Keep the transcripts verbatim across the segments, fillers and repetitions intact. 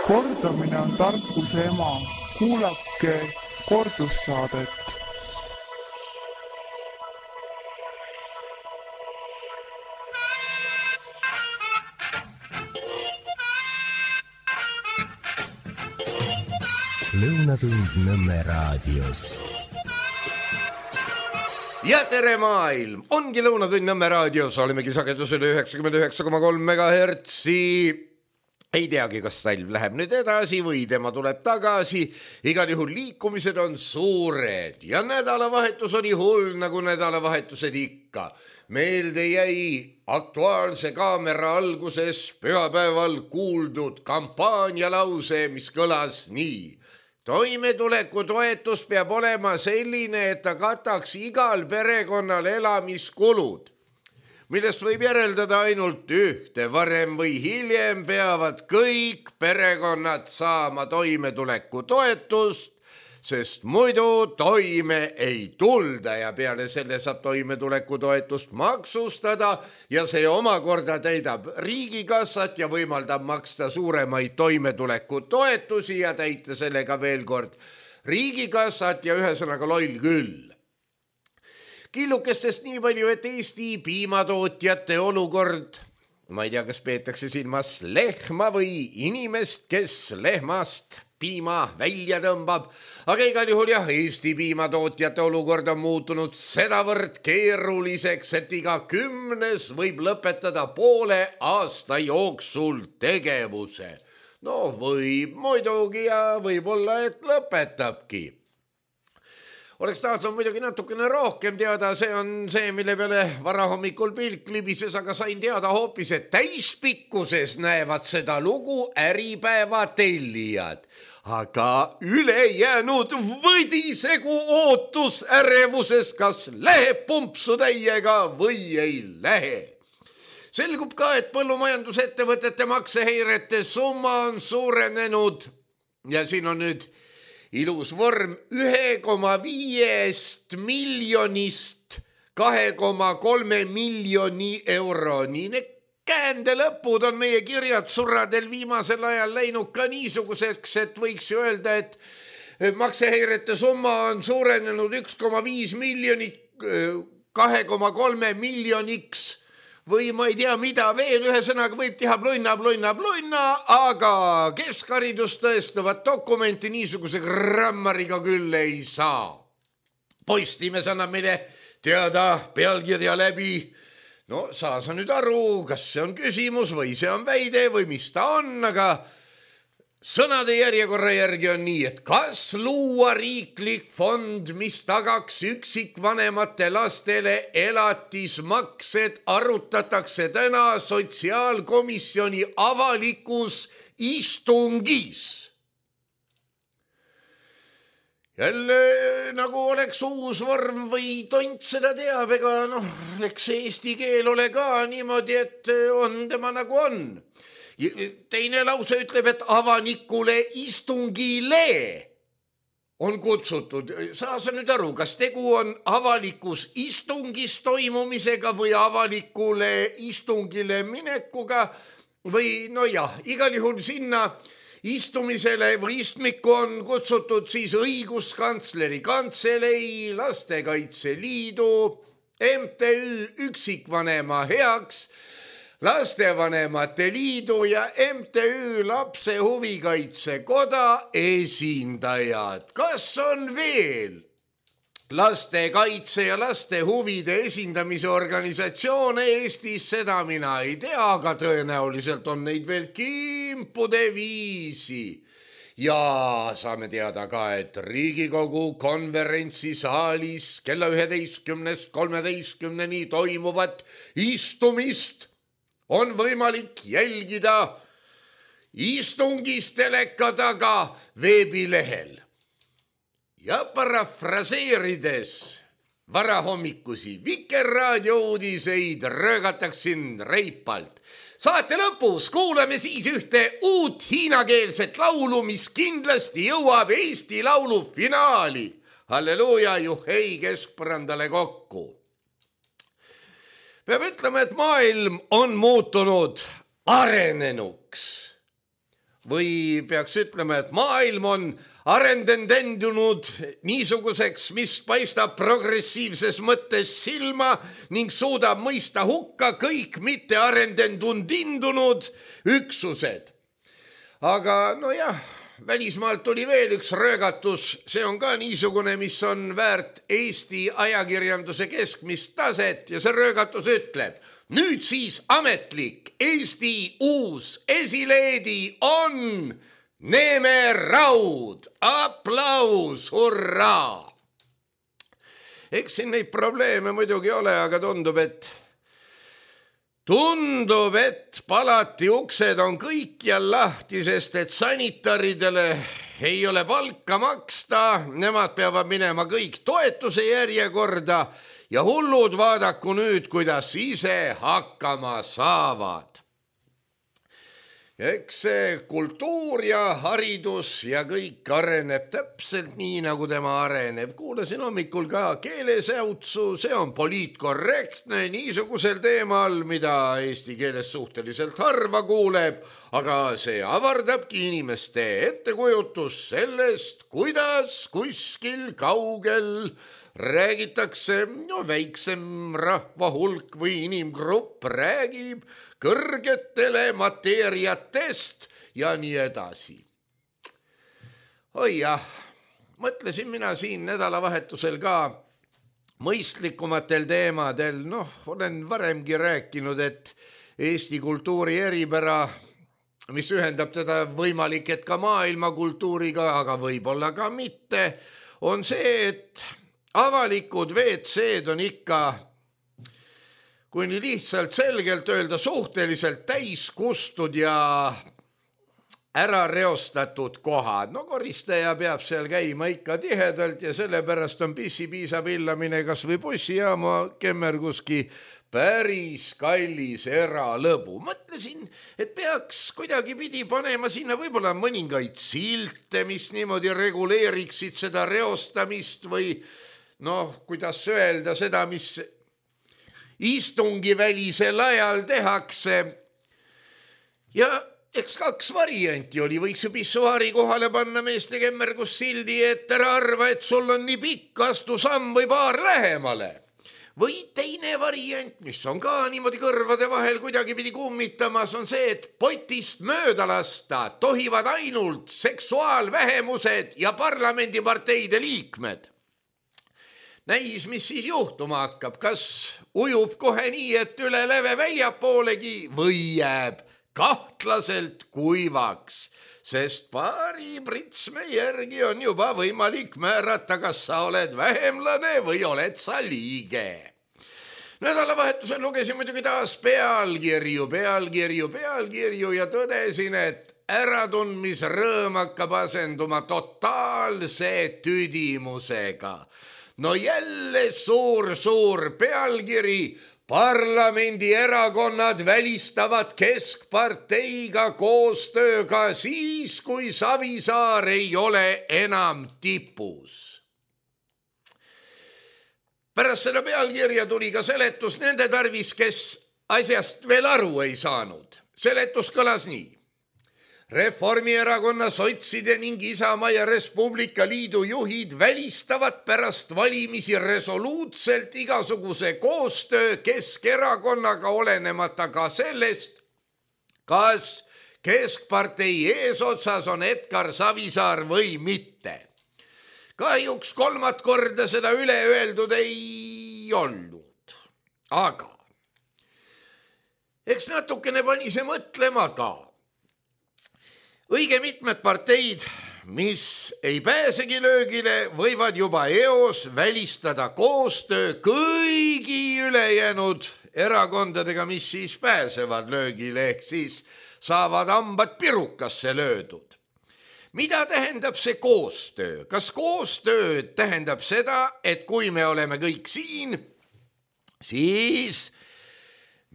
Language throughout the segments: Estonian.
Kordamine on tarkuse ema. Kuulake kordussaadet. Lõunatund Nõmme raadios. Ja tere maailm! Ongi Lõunatund Nõmme raadios. Olemegi sagedusel üheksakümmend üheksa koma kolm megahertsi. Ei teagi, kas talv läheb nüüd edasi või tema tuleb tagasi. Igal juhul liikumised on suured ja nädalavahetus oli hull nagu nädalavahetused ikka. Meelde jäi Aktuaalse kaamera alguses pühapäeval kuuldud kampaanialause, mis kõlas nii. Toimetuleku toetus peab olema selline, et ta kataks igal perekonnal elamiskulud, millest võib järeldada ainult ühte. Varem või hiljem peavad kõik perekonnad saama toimetuleku toetust, sest muidu toime ei tulda ja peale selle saab toimetuleku toetust maksustada ja see omakorda täidab riigikassat ja võimaldab maksta suuremaid toimetuleku toetusi ja täita sellega veel kord riigikassat ja ühesõnaga loll küll. Killukestest nii palju, et Eesti piimatootjate olukord, ma ei tea, kas peetakse silmas lehma või inimest, kes lehmast piima välja tõmbab, aga igal juhul jah, Eesti piimatootjate olukord on muutunud sedavõrd keeruliseks, et iga kümnes võib lõpetada poole aasta jooksul tegevuse. No võib muidugi ja võib-olla, et lõpetabki. Oleks tahtnud muidugi natukene rohkem teada, see on see, mille peale varahommikul pilk libises, aga sain teada hoopis, et täispikkuses näevad seda lugu Äripäeva tellijad. Aga ülejäänud võdisegu ootus ärevuses, kas läheb pumpsu täiega või ei lähe. Selgub ka, et põllumajandusettevõtete makseheirete summa on suurenenud ja siin on nüüd ilus vorm ühe koma viiest miljonist kahe koma kolme miljoni euroni. Käände lõpud on meie kirjad surradel viimasel ajal läinud ka niisuguseks, et võiks ju öelda, et makseheirete summa on suurenenud üks koma viis miljonit kahe koma kolme miljoniks või ma ei tea mida veel, ühesõnaga võib teha plunna, plunna, plunna, aga keskharidust tõestavat dokumenti niisuguse grammariga küll ei saa. Postimees annab meile teada pealkirja läbi. No saa sa nüüd aru, kas see on küsimus või see on väide või mis ta on, aga sõnade järjekorra järgi on nii, et kas luua riiklik fond, mis tagaks üksikvanemate lastele elatismaksed, arutatakse täna sotsiaalkomisjoni avalikus istungis. Jälle nagu oleks uus vorm või tont seda teab, ega noh, eks eesti keel ole ka niimoodi, et on tema nagu on. Teine lause ütleb, et avanikule istungile on kutsutud. Saa sa nüüd aru, kas tegu on avalikus istungis toimumisega või avalikule istungile minekuga või no jah, igal juhul sinna istumisele või istmikku on kutsutud siis õiguskantsleri kantselei, Lastekaitse Liidu, M T Ü Üksikvanema heaks, Lastevanemate Liidu ja M T Ü Lapse Huvikaitse Koda esindajad. Kas on veel lastekaitse ja laste huvide esindamise organisatsioone Eestis, seda mina ei tea, aga tõenäoliselt on neid veel kimpude viisi. Ja saame teada ka, et Riigikogu konverentsisaalis kella üheteistkümnest kolmeteistkümneni toimuvat istumist on võimalik jälgida istungis teleka taga veebilehel. Ja parafraseerides varahommikusi Vikerraadio uudiseid röögataksin reipalt. Saate lõpus kuuleme siis ühte uut hiinakeelset laulu, mis kindlasti jõuab Eesti Laulu finaali. Halleluuja, juhei keskpõrandale kokku. Peab ütlema, et maailm on muutunud arenenuks. või peaks ütlema, et maailm on arendendendunud niisuguseks, mis paistab progressiivses mõttes silma ning suudab mõista hukka kõik mitte arendendundindunud üksused. Aga nojah, välismaalt tuli veel üks röögatus, see on ka niisugune, mis on väärt Eesti ajakirjanduse keskmist taset ja see röögatus ütleb, nüüd siis ametlik Eesti uus esileedi on Neeme Raud, aplaus, hurraa! Eks siin neid probleeme muidugi ole, aga tundub, et tundub, et palati uksed on kõikjal lahti, sest et sanitaridele ei ole palka maksta, nemad peavad minema kõik toetuse järjekorda ja hullud vaadaku nüüd, kuidas ise hakkama saavad. Ja eks see kultuur ja haridus ja kõik areneb täpselt nii, nagu tema areneb. Kuulasin hommikul ka keelesäutsu, see on poliitkorrektne niisugusel teemal, mida eesti keeles suhteliselt harva kuuleb, aga see avardabki inimeste ettekujutus sellest, kuidas kuskil kaugel räägitakse, no väiksem rahvahulk või inimgrupp räägib kõrgetele mateeriatest ja nii edasi. Oi jah, mõtlesin mina siin nädalavahetusel ka mõistlikumatel teemadel, noh, olen varemgi rääkinud, et Eesti kultuuri eripära, mis ühendab teda võimalik, et ka maailmakultuuriga, aga võib-olla ka mitte, on see, et avalikud V C-d on ikka, kui nii lihtsalt selgelt öelda, suhteliselt täiskustud ja ära reostatud kohad. No koristaja peab seal käima ikka tihedalt ja sellepärast on pissi-piisa pillamine kas või bussijaama kemmerguski päris kallis eralõbu. Mõtlesin, et peaks kuidagi pidi panema sinna võib-olla mõningaid silte, mis niimoodi reguleeriksid seda reostamist või noh, kuidas öelda seda, mis istungi välisel ajal tehakse. Ja eks kaks varianti oli, võiks ju pissuaari kohale panna meeste kemmergus sildi, et ära arva, et sul on nii pikk, astu samm või paar lähemale. Või teine variant, mis on ka niimoodi kõrvade vahel kuidagi pidi kummitamas, on see, et potist mööda lasta tohivad ainult seksuaalvähemused ja parlamendiparteide liikmed. Näis, mis siis juhtuma hakkab, kas ujub kohe nii, et üle leve väljapoolegi või jääb kahtlaselt kuivaks, sest paari pritsme järgi on juba võimalik määrata, kas sa oled vähemlane või oled sa liige. Nädalavahetusel lugesin muidugi taas pealkirju, pealkirju, pealkirju ja tõdesin, et äratundmisrõõm hakkab asenduma totaalse tüdimusega. No jälle suur-suur pealkiri, parlamendierakonnad välistavad keskparteiga koostööga siis, kui Savisaar ei ole enam tipus. Pärast seda pealkirja tuli ka seletus nende tarvis, kes asjast veel aru ei saanud. Seletus kõlas nii. Reformierakonna, sotside ning Isamaa ja Res Publica Liidu juhid välistavad pärast valimisi resoluutselt igasuguse koostöö Keskerakonnaga olenemata ka sellest, kas keskpartei eesotsas on Edgar Savisaar või mitte. Kahjuks kolmat korda seda üle öeldud ei olnud, aga eks natukene pani see mõtlema ka. Õige mitmed parteid, mis ei pääsegi löögile, võivad juba eos välistada koostöö kõigi ülejäänud erakondadega, mis siis pääsevad löögile, ehk siis saavad hambad pirukasse löödud. Mida tähendab see koostöö? Kas koostöö tähendab seda, et kui me oleme kõik siin, siis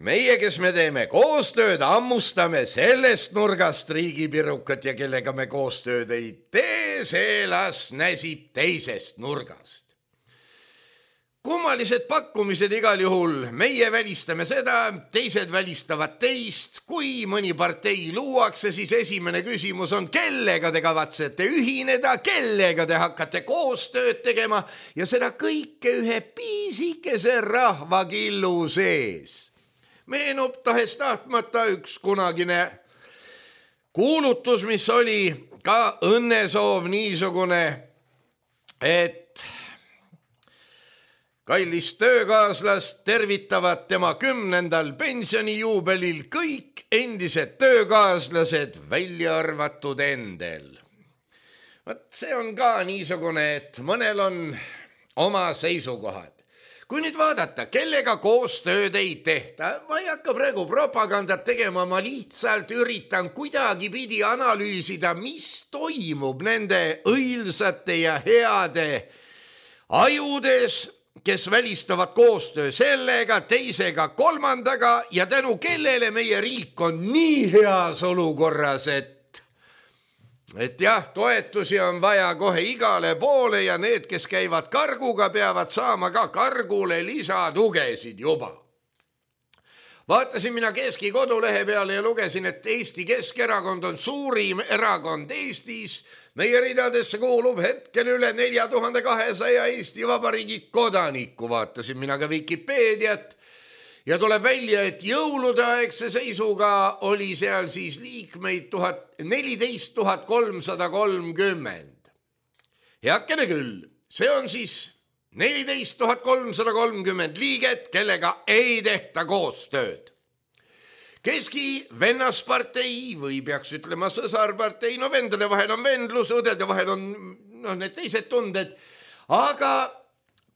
meie, kes me teeme koostööd, ammustame sellest nurgast riigipirukat ja kellega me koostööd ei tee, see las näsib teisest nurgast. kummalised pakkumised igal juhul, meie välistame seda, teised välistavad teist, kui mõni partei luuakse, siis esimene küsimus on, kellega te kavatsete ühineda, kellega te hakkate koostööd tegema ja seda kõike ühe piisikese rahvakillu sees. Meenub tahes tahtmata üks kunagine kuulutus, mis oli ka õnnesoov niisugune, et kallist töökaaslast tervitavad tema kümnendal pensionijuubelil kõik endised töökaaslased, välja arvatud endel. Võt, see on ka niisugune, et mõnel on oma seisukohad. Kui nüüd vaadata, kellega koostööd ei tehta, ma ei hakka praegu propagandat tegema, ma lihtsalt üritan kuidagi pidi analüüsida, mis toimub nende õilsate ja heade ajudes, kes välistavad koostöö sellega, teisega, kolmandaga ja tänu kellele meie riik on nii heas olukorras, et, et jah, toetusi on vaja kohe igale poole ja need, kes käivad karguga, peavad saama ka kargule lisatugesid juba. Vaatasin mina Keski kodulehe peale ja lugesin, et Eesti Keskerakond on suurim erakond Eestis. Meie ridadesse kuulub hetkel üle nelja tuhande kahesaja Eesti Vabariigi kodaniku, vaatasin mina ka Wikipeediat ja tuleb välja, et jõuludeaegse seisuga oli seal siis liikmeid neliteist tuhat kolmsada kolmkümmend. Heakene küll, see on siis neliteist tuhat kolmsada kolmkümmend liiget, kellega ei tehta koostööd. Keski vennaspartei või peaks ütlema sõsarpartei, no vendade vahel on vendlus, õdede vahel on no, need teised tunded, aga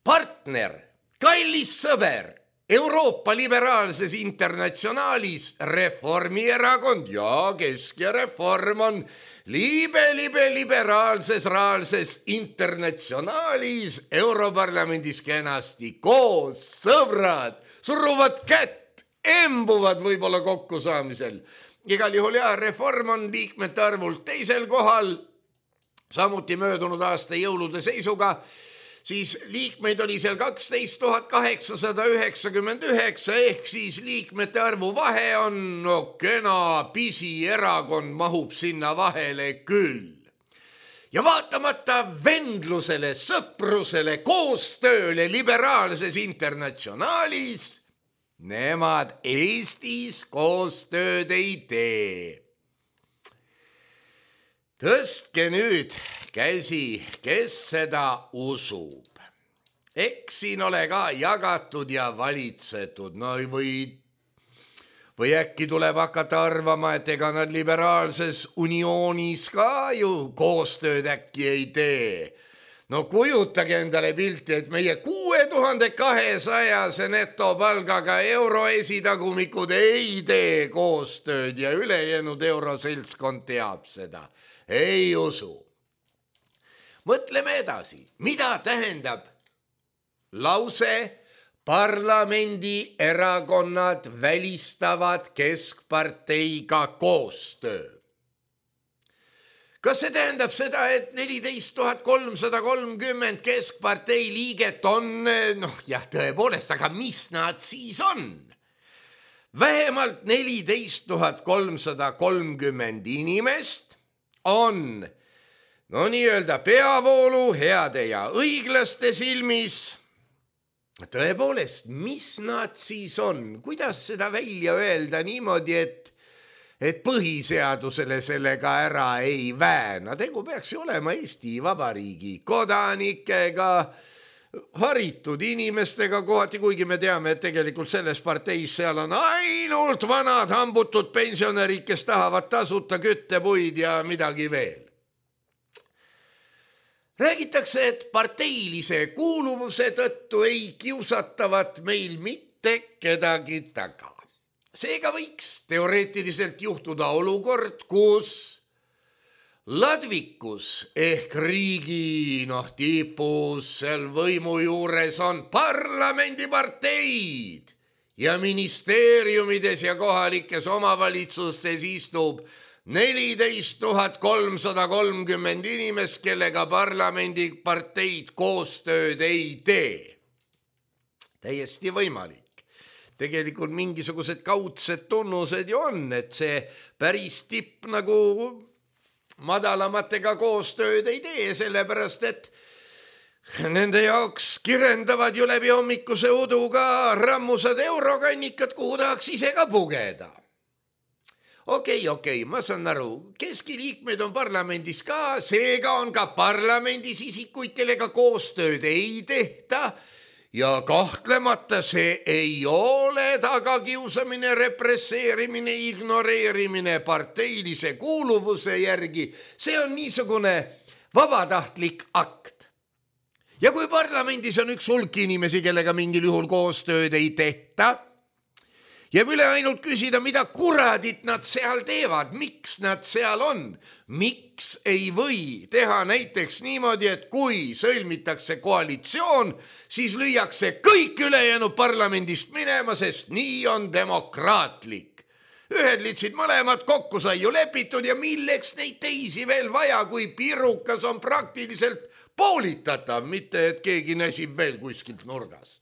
partner, kallis sõber, Euroopa liberaalses internatsionaalis Reformierakond ja Kesk ja Reform on libe, libe, liberaalses, raalses internatsionaalis Europarlamendis kenasti koos, sõbrad, suruvad kätt, embuvad võib-olla kokkusaamisel. Igal juhul jah, Reform on liikmete arvult teisel kohal, samuti möödunud aasta jõulude seisuga, siis liikmeid oli seal kaksteist tuhat kaheksasada üheksakümmend üheksa, ehk siis liikmete arvu vahe on no kena pisierakond mahub sinna vahele küll. Ja vaatamata vendlusele, sõprusele, koostööle liberaalses internatsionaalis, nemad Eestis koostööd ei tee. Tõstke nüüd käsi, kes seda usub. Eks siin ole ka jagatud ja valitsetud, no või, või äkki tuleb hakata arvama, et ega nad liberaalses unioonis ka ju koostööd äkki ei tee. No kujutage endale pilti, et meie kuue tuhande kahesajase netopalgaga euroesitagumikud ei tee koostööd ja ülejäänud euroseltskond teab seda. Ei usu. Mõtleme edasi, mida tähendab lause parlamendi erakonnad välistavad keskparteiga koostöö? Kas see tähendab seda, et neliteist tuhat kolmsada kolmkümmend keskpartei liiget on, noh jah, tõepoolest, aga mis nad siis on? Vähemalt neliteist tuhat kolmsada kolmkümmend inimest on, no nii-öelda peavoolu heade ja õiglaste silmis. Tõepoolest, mis nad siis on? Kuidas seda välja öelda niimoodi, et et põhiseadusele sellega ära ei vääna. Tegu peaks ju olema Eesti Vabariigi kodanikega, haritud inimestega kohati, kuigi me teame, et tegelikult selles parteis seal on ainult vanad hambutud pensionärid, kes tahavad tasuta küttepuid ja midagi veel. Räägitakse, et parteilise kuuluvuse tõttu ei kiusatavat meil mitte kedagi taga. Seega võiks teoreetiliselt juhtuda olukord, kus ladvikus ehk riigi noh, tipus seal võimu juures on parlamendiparteid ja ministeeriumides ja kohalikes omavalitsustes istub neliteist tuhat kolmsada kolmkümmend inimest, kellega parlamendiparteid koostööd ei tee. täiesti võimalik. Tegelikult mingisugused kaudsed tunnused ju on, et see päris tipp nagu madalamatega koostööd ei tee, sellepärast et nende jaoks kirendavad ju läbi hommikuse uduga rammusad eurokannikad, kuhu tahaks ise ka pugeda. Okei, okei, ma saan aru, keskiliikmed on parlamendis ka, seega on ka parlamendis isikuid, kellega koostööd ei tehta ja kahtlemata see ei ole tagakiusamine, represseerimine, ignoreerimine parteilise kuuluvuse järgi. See on niisugune vabatahtlik akt. Ja kui parlamendis on üks hulk inimesi, kellega mingil juhul koostööd ei tehta, jääb üle ainult küsida, mida kuradit nad seal teevad, miks nad seal on, miks ei või teha näiteks niimoodi, et kui sõlmitakse koalitsioon, siis lüüakse kõik ülejäänud parlamendist minema, sest nii on demokraatlik. Ühed litsid mõlemad kokku sai ju lepitud ja milleks neid teisi veel vaja, kui pirukas on praktiliselt poolitatav, mitte et keegi näsib veel kuskilt nurgast.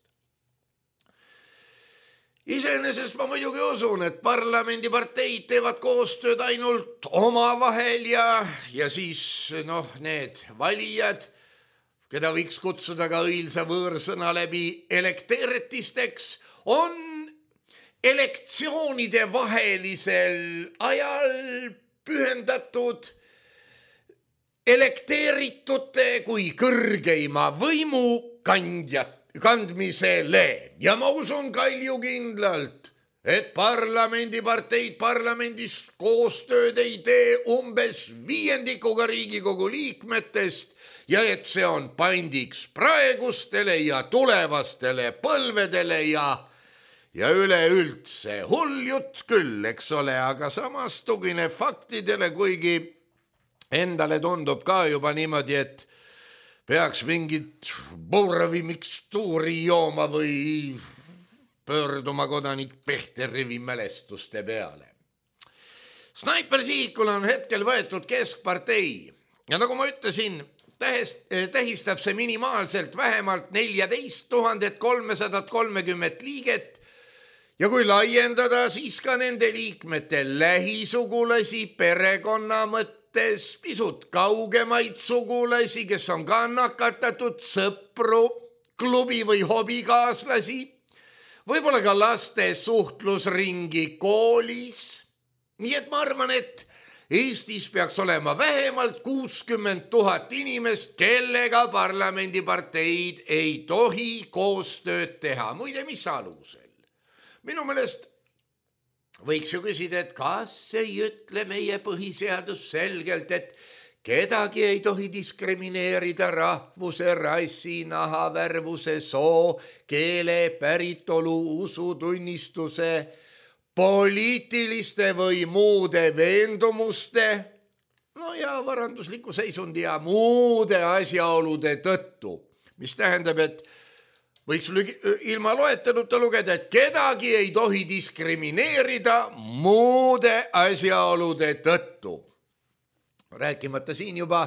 Iseenesest ma muidugi usun, et parlamendiparteid teevad koostööd ainult omavahel ja, ja siis noh, need valijad, keda võiks kutsuda ka õilsa võõrsõna läbi elekteeritisteks, on elektsioonide vahelisel ajal pühendatud elekteeritute kui kõrgeima võimu kandjat kandmisele ja ma usun kaljukindlalt, et parlamendiparteid parlamendis koostööd ei tee umbes viiendikuga Riigikogu liikmetest ja et see on pandiks praegustele ja tulevastele põlvedele ja, ja üleüldse hull jutt küll, eks ole, aga samas tugineb faktidele, kuigi endale tundub ka juba niimoodi, et peaks mingit Borovi mikstuuri jooma või pöörduma kodanik Pehteri mälestuste peale. Snaipersihikul on hetkel võetud keskpartei ja nagu ma ütlesin, tähistab see minimaalselt vähemalt neljateist tuhandet kolmesada kolmkümmend liiget ja kui laiendada, siis ka nende liikmete lähisugulasi, perekonna mõttes, pisut kaugemaid sugulasi, kes on ka nakatatud, sõpru, klubi või hobikaaslasi, võib-olla ka laste suhtlusringi koolis. Nii et ma arvan, et Eestis peaks olema vähemalt kuuskümmend tuhat inimest, kellega parlamendiparteid ei tohi koostööd teha. Muide, mis alusel? Minu meelest võiks ju küsida, et kas ei ütle meie põhiseadus selgelt, et kedagi ei tohi diskrimineerida rahvuse, rassi, nahavärvuse, soo, keele, päritolu, usutunnistuse, poliitiliste või muude veendumuste, no ja varandusliku seisundi ja muude asjaolude tõttu, mis tähendab, et võiks ilma loeteluta lugeda, et kedagi ei tohi diskrimineerida muude asjaolude tõttu. Rääkimata siin juba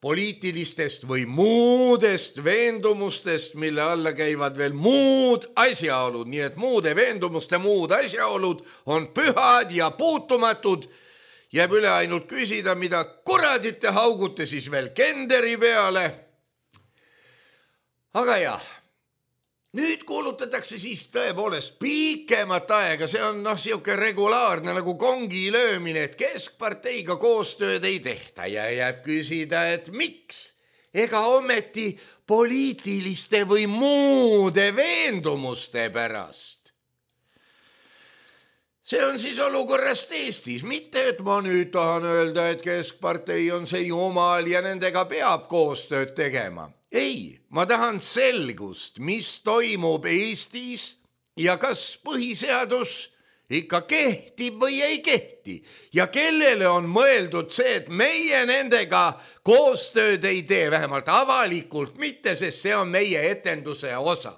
poliitilistest või muudest veendumustest, mille alla käivad veel muud asjaolud, nii et muude veendumuste muud asjaolud on pühad ja puutumatud. Jääb üle ainult küsida, mida kuradit te haugute siis veel kenderi peale. Aga jah, nüüd kuulutatakse siis tõepoolest pikemat aega, see on noh, siuke regulaarne nagu kongi löömine, et keskparteiga koostööd ei tehta ja jääb küsida, et miks? Ega ometi poliitiliste või muude veendumuste pärast. See on siis olukorrast Eestis, mitte et ma nüüd tahan öelda, et keskpartei on see jumal ja nendega peab koostööd tegema. Ei, ma tahan selgust, mis toimub Eestis ja kas põhiseadus ikka kehtib või ei kehti ja kellele on mõeldud see, et meie nendega koostööd ei tee, vähemalt avalikult mitte, sest see on meie etenduse osa.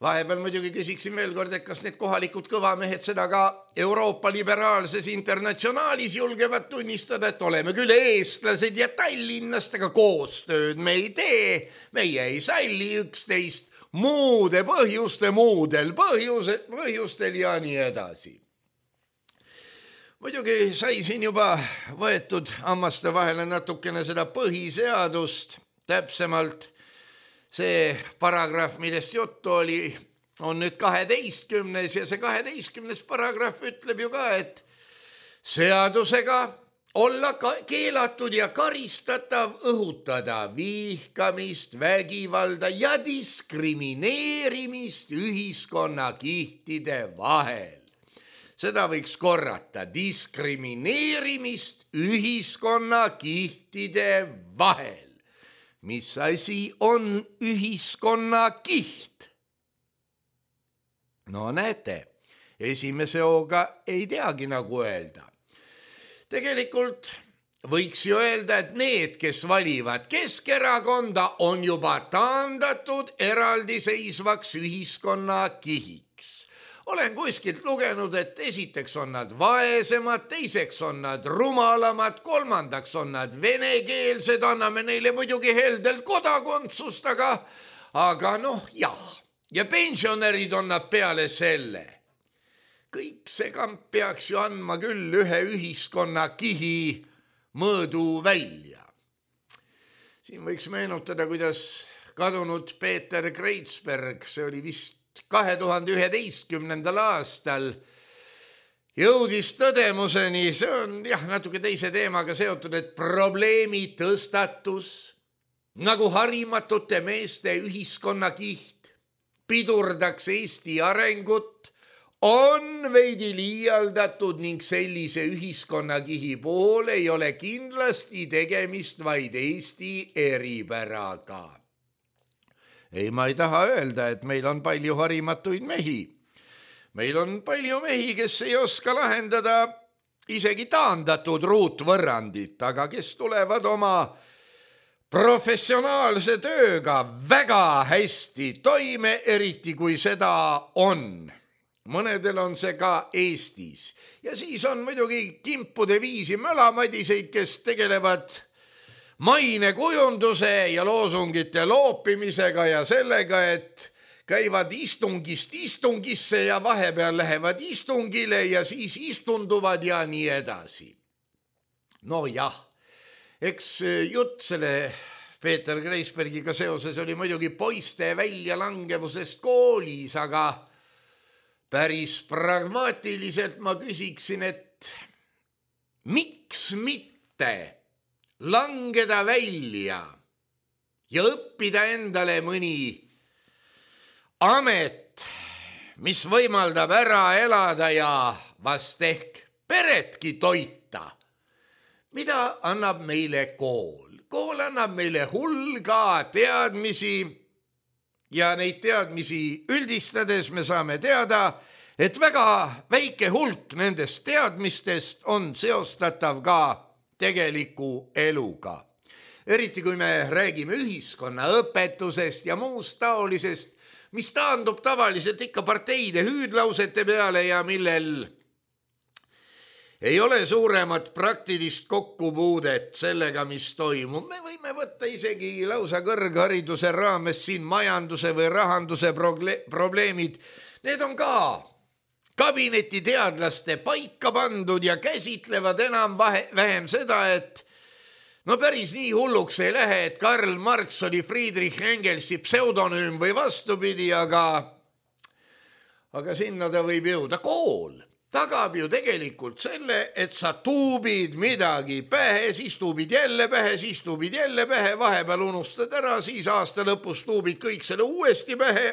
Vahepeal muidugi küsiksin veel kord, et kas need kohalikud kõvamehed seda ka Euroopa liberaalses internatsionaalis julgevad tunnistada, et oleme küll eestlased ja tallinnastega koostööd me ei tee, meie ei salli üksteist, muude põhjuste, muudel põhjuse, põhjustel ja nii edasi. Muidugi sai siin juba võetud hammaste vahele natukene seda põhiseadust, täpsemalt see paragrahv, millest juttu oli, on nüüd kaheteistkümnes ja see kaheteistkümnes paragrahv ütleb ju ka, et seadusega olla keelatud ja karistatav õhutada vihkamist, vägivalda ja diskrimineerimist ühiskonnakihtide vahel. Seda võiks korrata, diskrimineerimist ühiskonnakihtide vahel. Mis asi on ühiskonnakiht? No näete, esimese hooga ei teagi nagu öelda. Tegelikult võiks ju öelda, et need, kes valivad Keskerakonda, on juba taandatud eraldiseisvaks ühiskonnakihiks. Olen kuskilt lugenud, et esiteks on nad vaesemad, teiseks on nad rumalamad, kolmandaks on nad venekeelsed, anname neile muidugi heldelt kodakondsust, aga, aga noh, jah. Ja pensionärid on nad peale selle. Kõik see kamp peaks ju andma küll ühe ühiskonnakihi mõõdu välja. Siin võiks meenutada, kuidas kadunud Peeter Kreitsberg, see oli vist kahe tuhande üheteistkümnendal aastal, jõudis tõdemuseni, see on jah, natuke teise teemaga seotud, et probleemi tõstatus nagu harimatute meeste ühiskonnakiht pidurdaks Eesti arengut, on veidi liialdatud ning sellise ühiskonnakihi puhul ei ole kindlasti tegemist vaid Eesti eripäraga. Ei, ma ei taha öelda, et meil on palju harimatuid mehi. Meil on palju mehi, kes ei oska lahendada isegi taandatud ruutvõrrandit, aga kes tulevad oma professionaalse tööga väga hästi toime, eriti kui seda on. Mõnedel on see ka Eestis. Ja siis on muidugi kimpude viisi mölamadiseid, kes tegelevad mainekujunduse ja loosungite loopimisega ja sellega, et käivad istungist istungisse ja vahepeal lähevad istungile ja siis istunduvad ja nii edasi. No jah. Eks jutt selle Peeter Kreisbergiga seoses oli muidugi poiste väljalangevusest koolis, aga päris pragmaatiliselt ma küsiksin, et miks mitte langeda välja ja õppida endale mõni amet, mis võimaldab ära elada ja vast ehk peredki toita. Mida annab meile kool? Kool annab meile hulga teadmisi ja neid teadmisi üldistades me saame teada, et väga väike hulk nendest teadmistest on seostatav ka tegeliku eluga. Eriti kui me räägime ühiskonnaõpetusest ja muust taolisest, mis taandub tavaliselt ikka parteide hüüdlausete peale ja millel ei ole suuremat praktilist kokkupuudet sellega, mis toimub. Me võime võtta isegi lausa kõrghariduse raames siin majanduse või rahanduse probleemid. Need on ka kabinetiteadlaste paika pandud ja käsitlevad enam vähem seda, et no päris nii hulluks ei lähe, et Karl Marx oli Friedrich Engelsi pseudonüüm või vastupidi, aga, aga sinna ta võib jõuda. Kool tagab ju tegelikult selle, et sa tuubid midagi pähe, siis tuubid jälle pähe, siis tuubid jälle pähe, vahepeal unustad ära, siis aasta lõpus tuubid kõik selle uuesti pähe,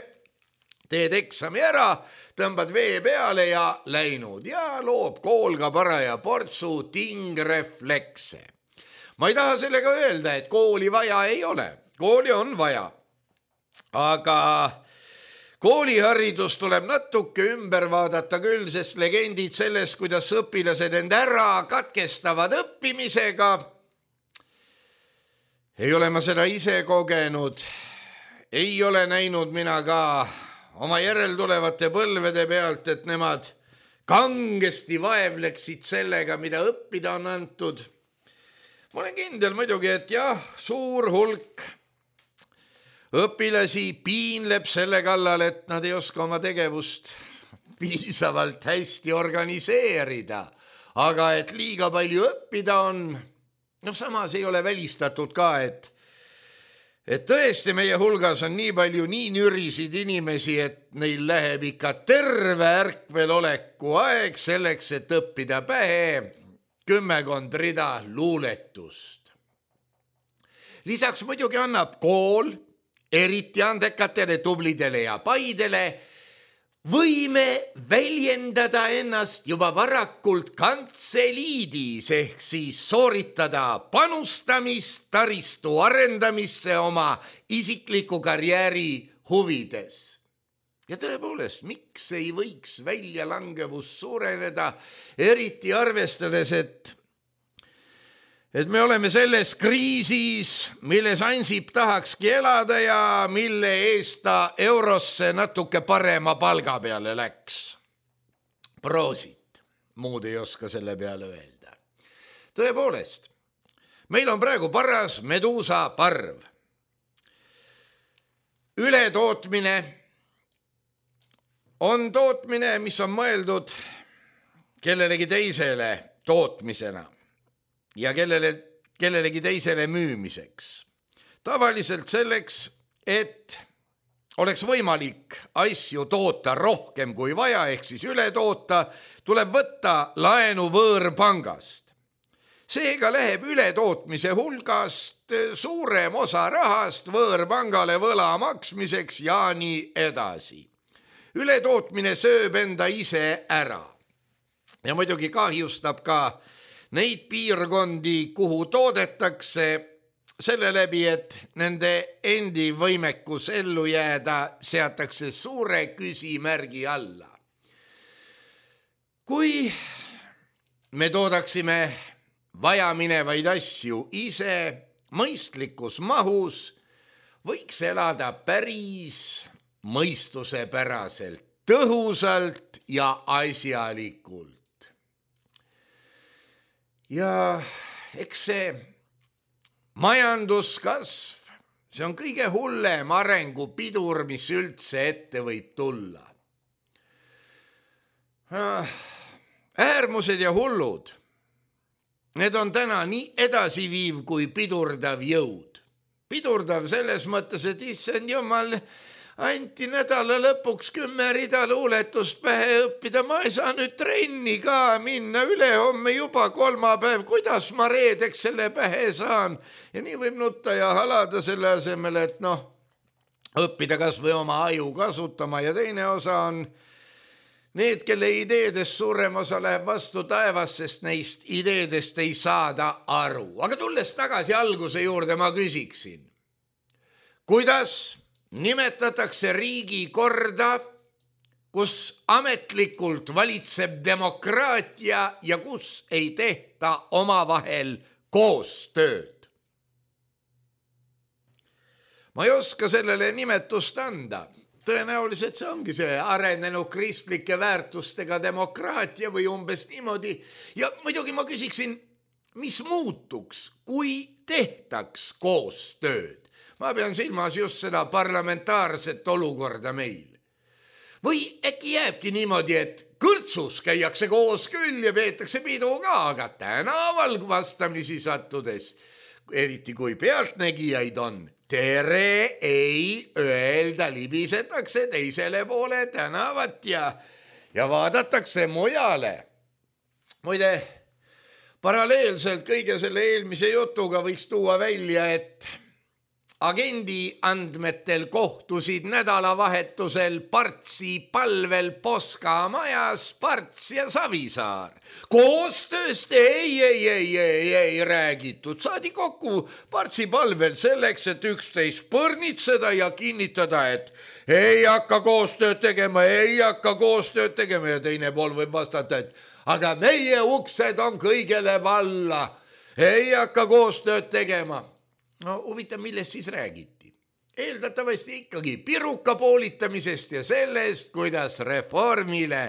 teed eksami ära, tõmbad vee peale ja läinud ja loob kool ka paraja portsu tingreflekse. Ma ei taha sellega öelda, et kooli vaja ei ole, kooli on vaja, aga kooliharidus tuleb natuke ümber vaadata küll, sest legendid sellest, kuidas õpilased end ära katkestavad õppimisega. Ei ole ma seda ise kogenud, ei ole näinud mina ka oma järeltulevate põlvede pealt, et nemad kangesti vaevleksid sellega, mida õppida on antud. Ma olen kindel muidugi, et jah, suur hulk õpilasi piinleb selle kallal, et nad ei oska oma tegevust piisavalt hästi organiseerida, aga et liiga palju õppida on. No samas ei ole välistatud ka, et et tõesti meie hulgas on nii palju nii nürisid inimesi, et neil läheb ikka terve ärkveloleku aeg selleks, et õppida pähe kümmekond rida luuletust. Lisaks muidugi annab kool, eriti andekatele, tublidele ja paidele, võime väljendada ennast juba varakult kantseliidis ehk siis sooritada panustamist taristu arendamisse oma isikliku karjääri huvides. Ja tõepoolest, miks ei võiks väljalangevus suureneda, eriti arvestades, et et me oleme selles kriisis, milles Ansip tahakski elada ja mille eest ta eurosse natuke parema palga peale läks. Proosit, muud ei oska selle peale öelda. Tõepoolest, meil on praegu paras meduusa parv. Ületootmine on tootmine, mis on mõeldud kellelegi teisele tootmisena ja kellele, kellelegi teisele müümiseks. Tavaliselt selleks, et oleks võimalik asju toota rohkem kui vaja, ehk siis üle toota, tuleb võtta laenu võõrpangast. Seega läheb ületootmise hulgast suurem osa rahast võõrpangale võla maksmiseks ja nii edasi. Ületootmine sööb enda ise ära ja muidugi kahjustab ka neid piirkondi, kuhu toodetakse, selle läbi, et nende endi võimekus ellu jääda seatakse suure küsimärgi alla. Kui me toodaksime vajaminevaid asju ise mõistlikus mahus, võiks elada päris mõistusepäraselt, tõhusalt ja asjalikult. Ja eks see majanduskasv, see on kõige hullem arengupidur, mis üldse ette võib tulla. Äärmused ja hullud, need on täna nii edasiviiv kui pidurdav jõud. Pidurdav selles mõttes, et issand jumal, anti nädala lõpuks kümme rida luuletust pähe õppida, ma ei saa nüüd trenni ka minna, ülehomme juba kolmapäev, kuidas ma reedeks selle pähe saan? Ja nii võib nutta ja halada selle asemel, et noh, õppida kas või oma aju kasutama ja teine osa on need, kelle ideedest suurem osa läheb vastu taevas, sest neist ideedest ei saada aru. Aga tulles tagasi alguse juurde, ma küsiksin, kuidas nimetatakse riigi korda, kus ametlikult valitseb demokraatia ja kus ei tehta omavahel koostööd. Ma ei oska sellele nimetust anda. Tõenäoliselt see ongi see arenenud kristlike väärtustega demokraatia või umbes niimoodi. Ja muidugi ma küsiksin, mis muutuks, kui tehtaks koostööd? Ma pean silmas just seda parlamentaarset olukorda meil. Või äkki jääbki niimoodi, et kõrtsus käiakse koos küll ja peetakse pidu ka, aga tänaval vastamisi sattudes, eriti kui pealtnägijaid on, tere ei öelda, libisetakse teisele poole tänavat ja, ja vaadatakse mujale. Muide, paralleelselt kõige selle eelmise jutuga võiks tuua välja, et agendi andmetel kohtusid nädalavahetusel Partsi palvel Poska majas Parts ja Savisaar. Koostööst ei, ei, ei, ei, ei räägitud. Saadi kokku Partsi palvel selleks, et üksteist põrnitseda ja kinnitada, et ei hakka koostööd tegema, ei hakka koostööd tegema ja teine pool võib vastata, et aga meie uksed on kõigele valla, ei hakka koostööd tegema. No huvitav, millest siis räägiti? Eeldatavasti ikkagi piruka poolitamisest ja sellest, kuidas reformile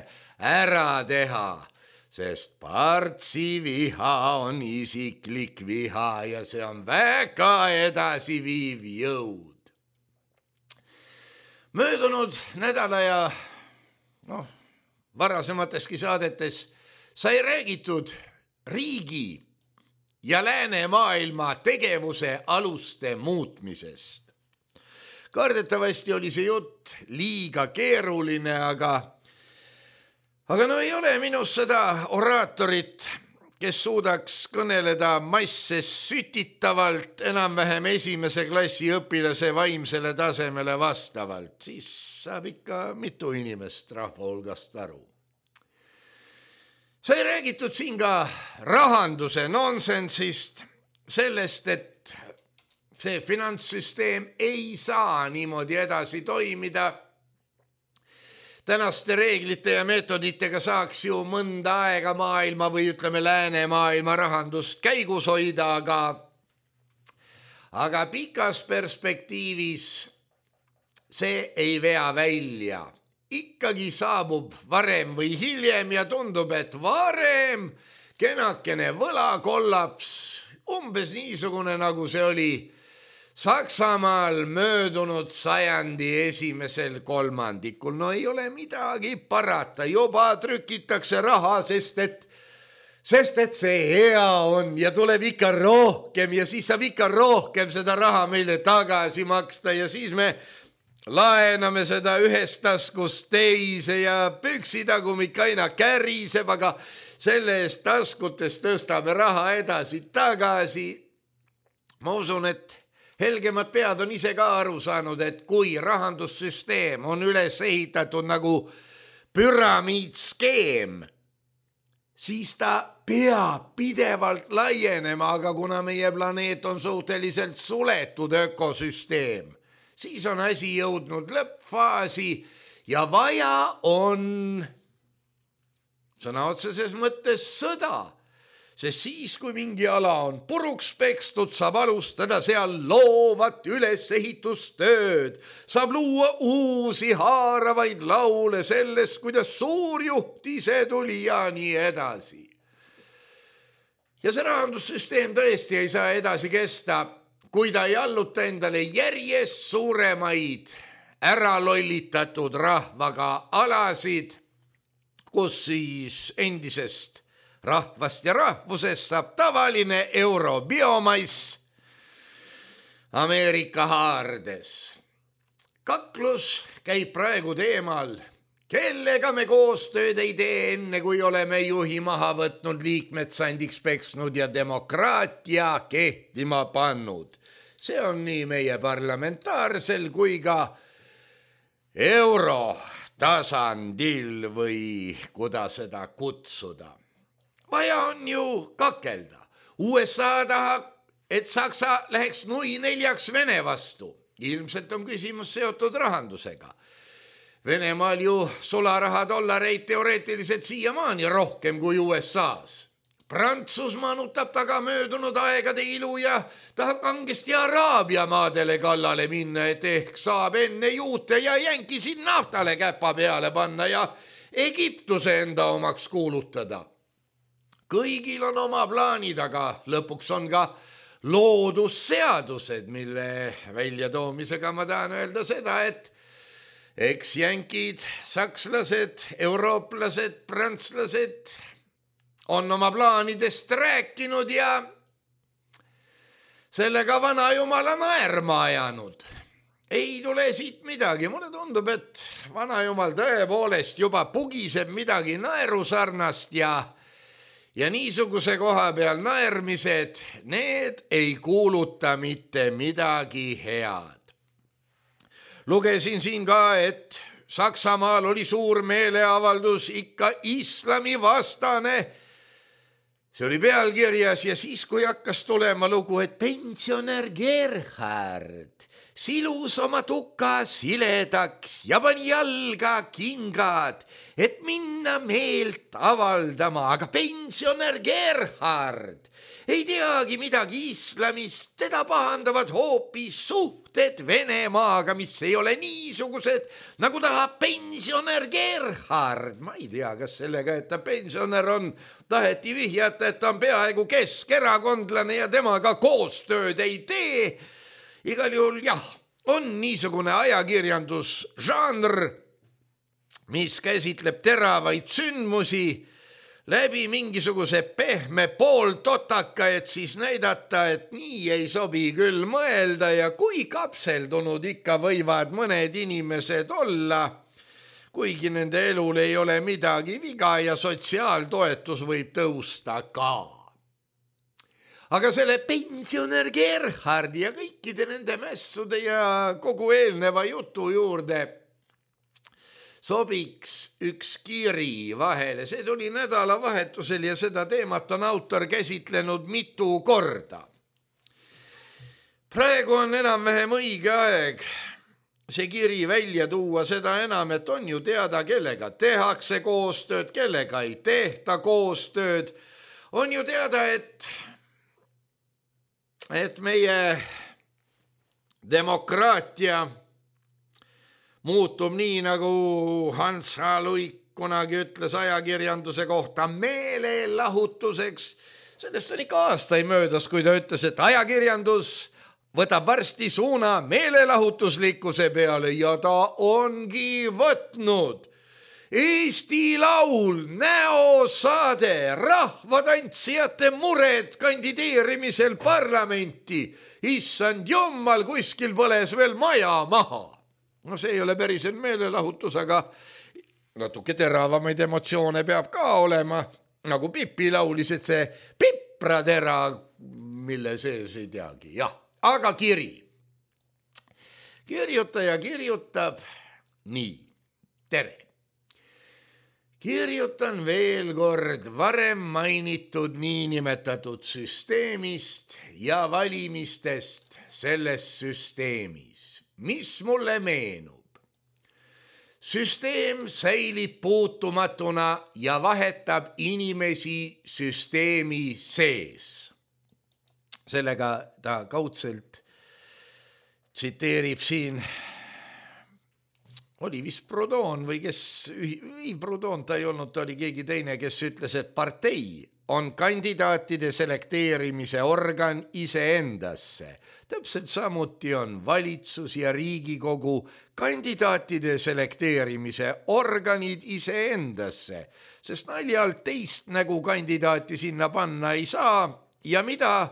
ära teha, sest Partsi viha on isiklik viha ja see on väga edasiviiv jõud. möödunud nädala ja noh, varasemateski saadetes sai räägitud riigi ja läänemaailma tegevuse aluste muutmisest. Kardetavasti oli see jutt liiga keeruline, aga aga no ei ole minus seda oraatorit, kes suudaks kõneleda masse sütitavalt enam-vähem esimese klassi õpilase vaimsele tasemele vastavalt. Siis saab ikka mitu inimest rahva hulgast aru. Sai räägitud siin ka rahanduse nonsensist, sellest, et see finantssüsteem ei saa niimoodi edasi toimida. Tänaste reeglite ja meetoditega saaks ju mõnda aega maailma või ütleme lääne maailma rahandust käigus hoida, aga, aga pikas perspektiivis see ei vea välja. Ikkagi saabub varem või hiljem ja tundub, et varem kenakene võlakollaps, umbes niisugune nagu see oli Saksamaal möödunud sajandi esimesel kolmandikul. No ei ole midagi parata, juba trükitakse raha, sest et, sest et see hea on ja tuleb ikka rohkem ja siis saab ikka rohkem seda raha meile tagasi maksta ja siis me laename seda ühest taskust teise ja püksidagumik aina käriseb, aga selle eest taskutes tõstame raha edasi tagasi. Ma usun, et helgemad pead on ise ka aru saanud, et kui rahandussüsteem on üles ehitatud nagu püramiidskeem, siis ta peab pidevalt laienema, aga kuna meie planeet on suhteliselt suletud ökosüsteem, siis on asi jõudnud lõppfaasi ja vaja on sõna otseses mõttes sõda. Sest siis, kui mingi ala on puruks pekstud, saab alustada seal loovat ülesehitustööd, saab luua uusi haaravaid laule sellest, kuidas suurjuht ise tuli ja nii edasi. Ja see rahandussüsteem tõesti ei saa edasi kesta, kui ta ei alluta endale järjest suuremaid ära lollitatud rahvaga alasid, kus siis endisest rahvast ja rahvusest saab tavaline eurobiomaiss Ameerika haardes. Kaklus käib praegu teemal, kellega me koostööd ei tee enne, kui oleme juhi maha võtnud, liikmed sandiks peksnud ja demokraatia kehtima pannud. See on nii meie parlamentaarsel kui ka euro tasandil või kuidas seda kutsuda. Vaja on ju kakelda. U S A tahab, et Saksa läheks nui neljaks Vene vastu. Ilmselt on küsimus seotud rahandusega. Venemaal ju sularaha dollareid teoreetiliselt siiamaani rohkem kui U S A-s. Prantsusmaa nutab taga möödunud aegade ilu ja tahab kangesti Araabia maadele kallale minna, et ehk saab enne juute ja jänkisid naftale käpa peale panna ja Egiptuse enda omaks kuulutada. Kõigil on oma plaanid, aga lõpuks on ka loodusseadused, mille väljatoomisega ma tahan öelda seda, et eks jänkid, sakslased, eurooplased, prantslased on oma plaanidest rääkinud ja sellega vana jumala naerma ajanud. Ei tule siit midagi. Mulle tundub, et vana jumal tõepoolest juba pugiseb midagi naerusarnast ja Ja niisuguse koha peal naermised, need ei kuuluta mitte midagi head. Lugesin siin ka, et Saksamaal oli suur meeleavaldus ikka islami vastane. See oli pealkirjas ja siis, kui hakkas tulema lugu, et pensionär Gerhard silus oma tuka siledaks ja pani jalga kingad, et minna meelt avaldama, aga pensionär Gerhard ei teagi midagi islamist, teda pahandavad hoopis suhted Venemaaga, mis ei ole niisugused, nagu tahab pensionär Gerhard. Ma ei tea, kas sellega, et ta pensionär on, taheti vihjata, et ta on peaaegu keskerakondlane ja temaga koostööd ei tee. Igal juhul jah, on niisugune ajakirjandusžanr, mis käsitleb teravaid sündmusi läbi mingisuguse pehme pooltotaka, et siis näidata, et nii ei sobi küll mõelda ja kui kapseldunud ikka võivad mõned inimesed olla, kuigi nende elul ei ole midagi viga ja sotsiaaltoetus võib tõusta ka. Aga selle pensionär Gerhardi ja kõikide nende mässude ja kogu eelneva jutu juurde sobiks üks kiri vahele. See tuli nädalavahetusel ja seda teemat on autor käsitlenud mitu korda. Praegu on enam-vähem õige aeg see kiri välja tuua, seda enam, et on ju teada, kellega tehakse koostööd, kellega ei tehta koostööd. On ju teada, et, et meie demokraatia muutub nii, nagu Hans H. Luik kunagi ütles ajakirjanduse kohta, meelelahutuseks. Sellest on ikka aastaid möödas, kui ta ütles, et ajakirjandus võtab varsti suuna meelelahutuslikkuse peale ja ta ongi võtnud. Eesti Laul, näosaade, rahvatantsijate mured kandideerimisel parlamenti. Issand jummal, kuskil põles veel maja maha. No see ei ole päriselt meelelahutus, aga natuke teravamaid emotsioone peab ka olema, nagu Pipi laulis, et see pipratera, mille sees ei teagi. Jah, aga kiri. Kirjutaja kirjutab nii. Tere. Kirjutan veel kord varem mainitud niinimetatud süsteemist ja valimistest selles süsteemis. Mis mulle meenub? Süsteem säilib puutumatuna ja vahetab inimesi süsteemi sees. Sellega ta kaudselt tsiteerib siin, oli vist Proudhon või kes, ei Proudhon ta ei olnud, ta oli keegi teine, kes ütles, et partei on kandidaatide selekteerimise organ iseendasse. Täpselt samuti on valitsus ja Riigikogu kandidaatide selekteerimise organid iseendasse, sest naljalt teist nägu kandidaati sinna panna ei saa ja mida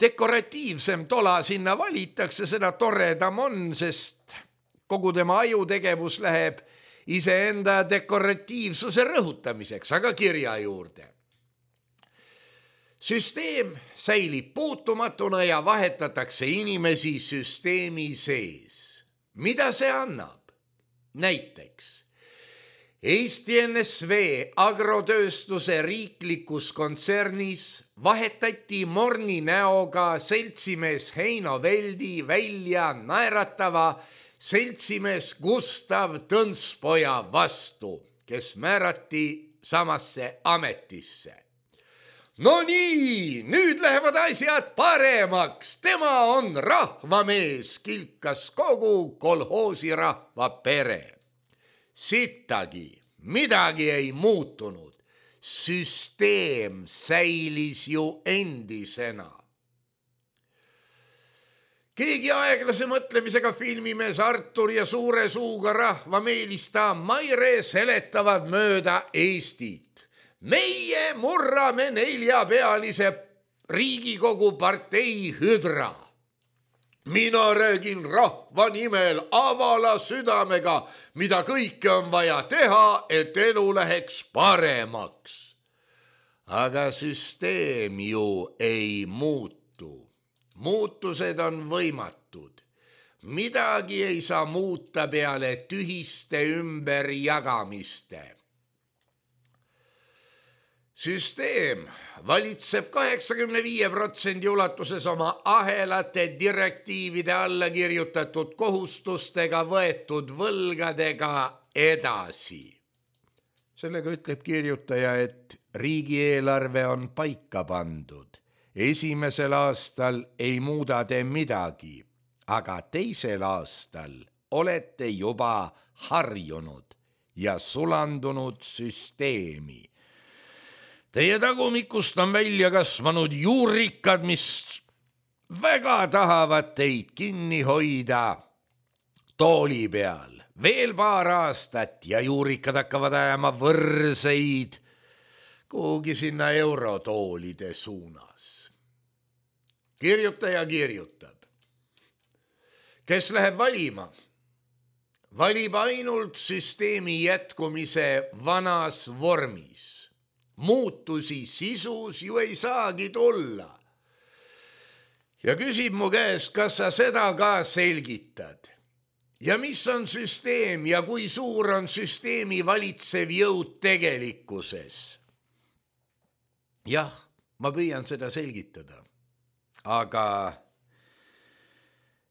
dekoratiivsem tola sinna valitakse, seda toredam on, sest kogu tema ajutegevus läheb iseenda dekoratiivsuse rõhutamiseks, aga kirja juurde. Süsteem säilib puutumatuna ja vahetatakse inimesi süsteemi sees. Mida see annab? Näiteks Eesti N S V agrotööstuse riiklikus kontsernis vahetati morni näoga seltsimees Heino Veldi välja naeratava seltsimees Gustav Tõnspoja vastu, kes määrati samasse ametisse. No nii, nüüd lähevad asjad paremaks, tema on rahvamees, kilkas kogu kolhoosi rahva pere. Sittagi, midagi ei muutunud, süsteem säilis ju endisena. Keegi aeglase mõtlemisega filmimees Artur ja suure suuga rahvameelista Maire seletavad mööda Eestit. Meie murrame neljapealise Riigikogu partei hüdra. Mina räägin rahva nimel avala südamega, mida kõike on vaja teha, et elu läheks paremaks. Aga süsteem ju ei muutu. Muutused on võimatud. Midagi ei saa muuta peale tühiste ümberjagamiste. Süsteem valitseb kaheksakümne viie protsendi ulatuses oma ahelate direktiivide alla kirjutatud kohustustega võetud võlgadega edasi. Sellega ütleb kirjutaja, et riigieelarve on paika pandud. Esimesel aastal ei muuda te midagi, aga teisel aastal olete juba harjunud ja sulandunud süsteemi. Teie tagumikust on välja kasvanud juurikad, mis väga tahavad teid kinni hoida tooli peal veel paar aastat ja juurikad hakkavad ajama võrseid kuhugi sinna eurotoolide suunas. Kirjutaja kirjutab. Kes läheb valima? Valib ainult süsteemi jätkumise vanas vormis. Muutusi sisus ju ei saagi tulla. Ja küsib mu käest, kas sa seda ka selgitad? Ja mis on süsteem ja kui suur on süsteemi valitsev jõud tegelikkuses? Jah, ma püüan seda selgitada. Aga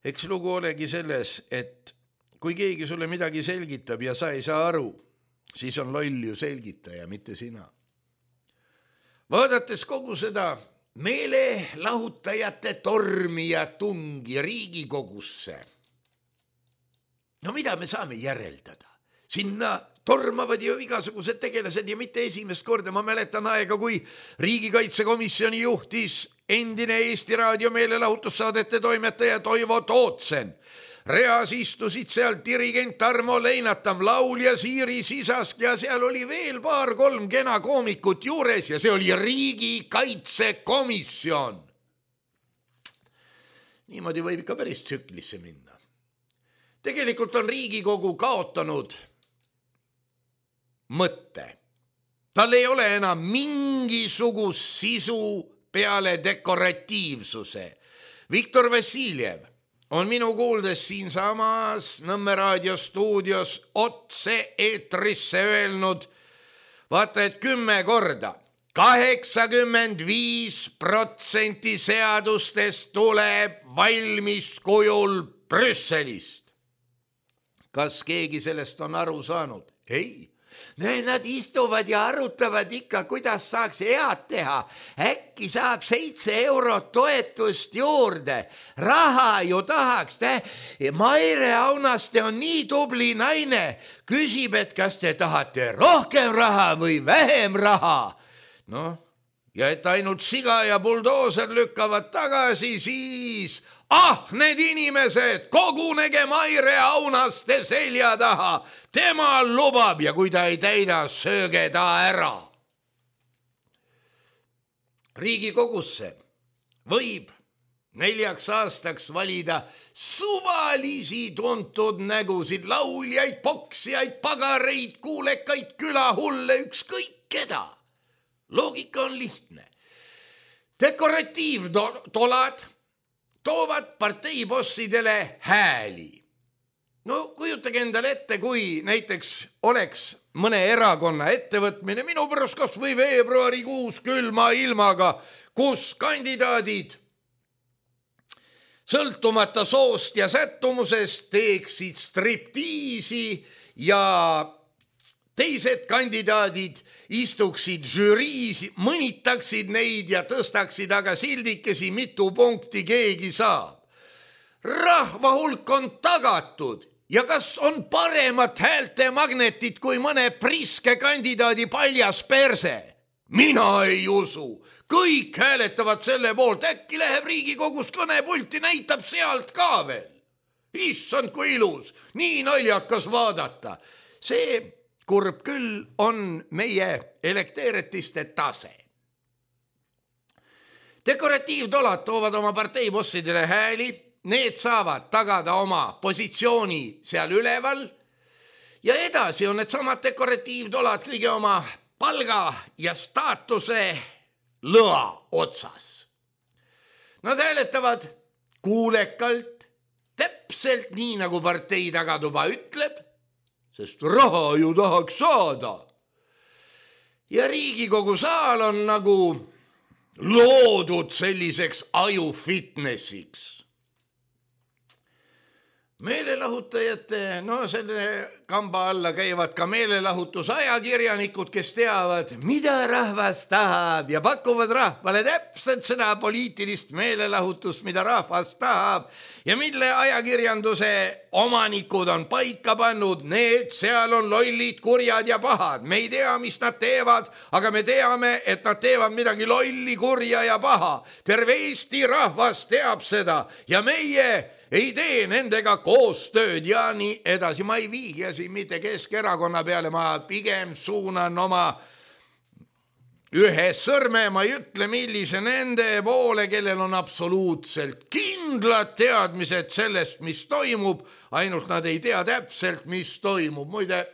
eks lugu olegi selles, et kui keegi sulle midagi selgitab ja sa ei saa aru, siis on loll ju selgitaja, mitte sina. Vaadates kogu seda meelelahutajate tormi ja tungi Riigikogusse, no mida me saame järeldada? Sinna tormavad ju igasugused tegelased ja mitte esimest korda. Ma mäletan aega, kui riigikaitsekomisjoni juhtis endine Eesti Raadio meelelahutussaadete toimetaja Toivo Tootsen. Reas istusid seal dirigent Tarmo Leinatam, laulja Siiri Sisask ja seal oli veel paar-kolm kena koomikut juures ja see oli riigikaitsekomisjon. Niimoodi võib ikka päris tsüklisse minna. Tegelikult on Riigikogu kaotanud mõtte. Tal ei ole enam mingisugust sisu peale dekoratiivsuse. Viktor Vassiljev on minu kuuldes siin samas Nõmme raadio stuudios otse eetrisse öelnud, vaata et kümme korda, kaheksakümmend viis protsenti seadustest tuleb valmis kujul Brüsselist. Kas keegi sellest on aru saanud? Ei. Nad istuvad ja arutavad ikka, kuidas saaks head teha. Äkki saab seitse eurot toetust juurde. Raha ju tahaks. Maire Aunaste on nii tubli naine. Küsib, et kas te tahate rohkem raha või vähem raha. No, ja et ainult siga ja buldooser lükkavad tagasi, siis... Ah, need inimesed, kogunege Maire Aunaste selja taha. Tema lubab ja kui ta ei täida, sööge ta ära. Riigikogusse võib neljaks aastaks valida suvalisi tuntud nägusid, lauljaid, poksijaid, pagareid, kuulekaid, külahulle, ükskõik keda. Loogika on lihtne. Dekoratiivtolad toovad parteibossidele hääli. No kujutage endale ette, kui näiteks oleks mõne erakonna ettevõtmine minu pärast kas või veebruarikuus külma ilmaga, kus kandidaadid sõltumata soost ja sättumusest teeksid striptiisi ja teised kandidaadid istuksid žüriis, mõnitaksid neid ja tõstaksid aga sildikesi, mitu punkti keegi saab. Rahva hulk on tagatud ja kas on paremat häälte magnetit kui mõne priske kandidaadi paljas perse? Mina ei usu. Kõik hääletavad selle poolt, äkki läheb Riigikogus kõnepulti, näitab sealt ka veel. Issand, kui ilus, nii naljakas vaadata. See kurb küll on meie elekteeretiste tase. Dekoratiivtolad toovad oma parteibossidele hääli, need saavad tagada oma positsiooni seal üleval ja edasi on need samad dekoratiivtolad kõige oma palga ja staatuse lõa otsas. Nad hääletavad kuulekalt, täpselt nii nagu partei tagatuba ütleb, sest raha ju tahaks saada. Ja Riigikogu saal on nagu loodud selliseks aju fitnessiks. Meelelahutajate, no selle kamba alla käivad ka meelelahutusajakirjanikud, kes teavad, mida rahvas tahab ja pakuvad rahvale täpselt seda poliitilist meelelahutust, mida rahvas tahab ja mille ajakirjanduse omanikud on paika pannud. Need seal on lollid, kurjad ja pahad. Me ei tea, mis nad teevad, aga me teame, et nad teevad midagi lolli, kurja ja paha. Terve Eesti rahvas teab seda ja meie ei tee nendega koostööd ja nii edasi. Ma ei viigi siin mitte Keskerakonna peale, ma pigem suunan oma ühe sõrme, ma ei ütle, millise nende poole, kellel on absoluutselt kindlad teadmised sellest, mis toimub, ainult nad ei tea täpselt, mis toimub. Muide,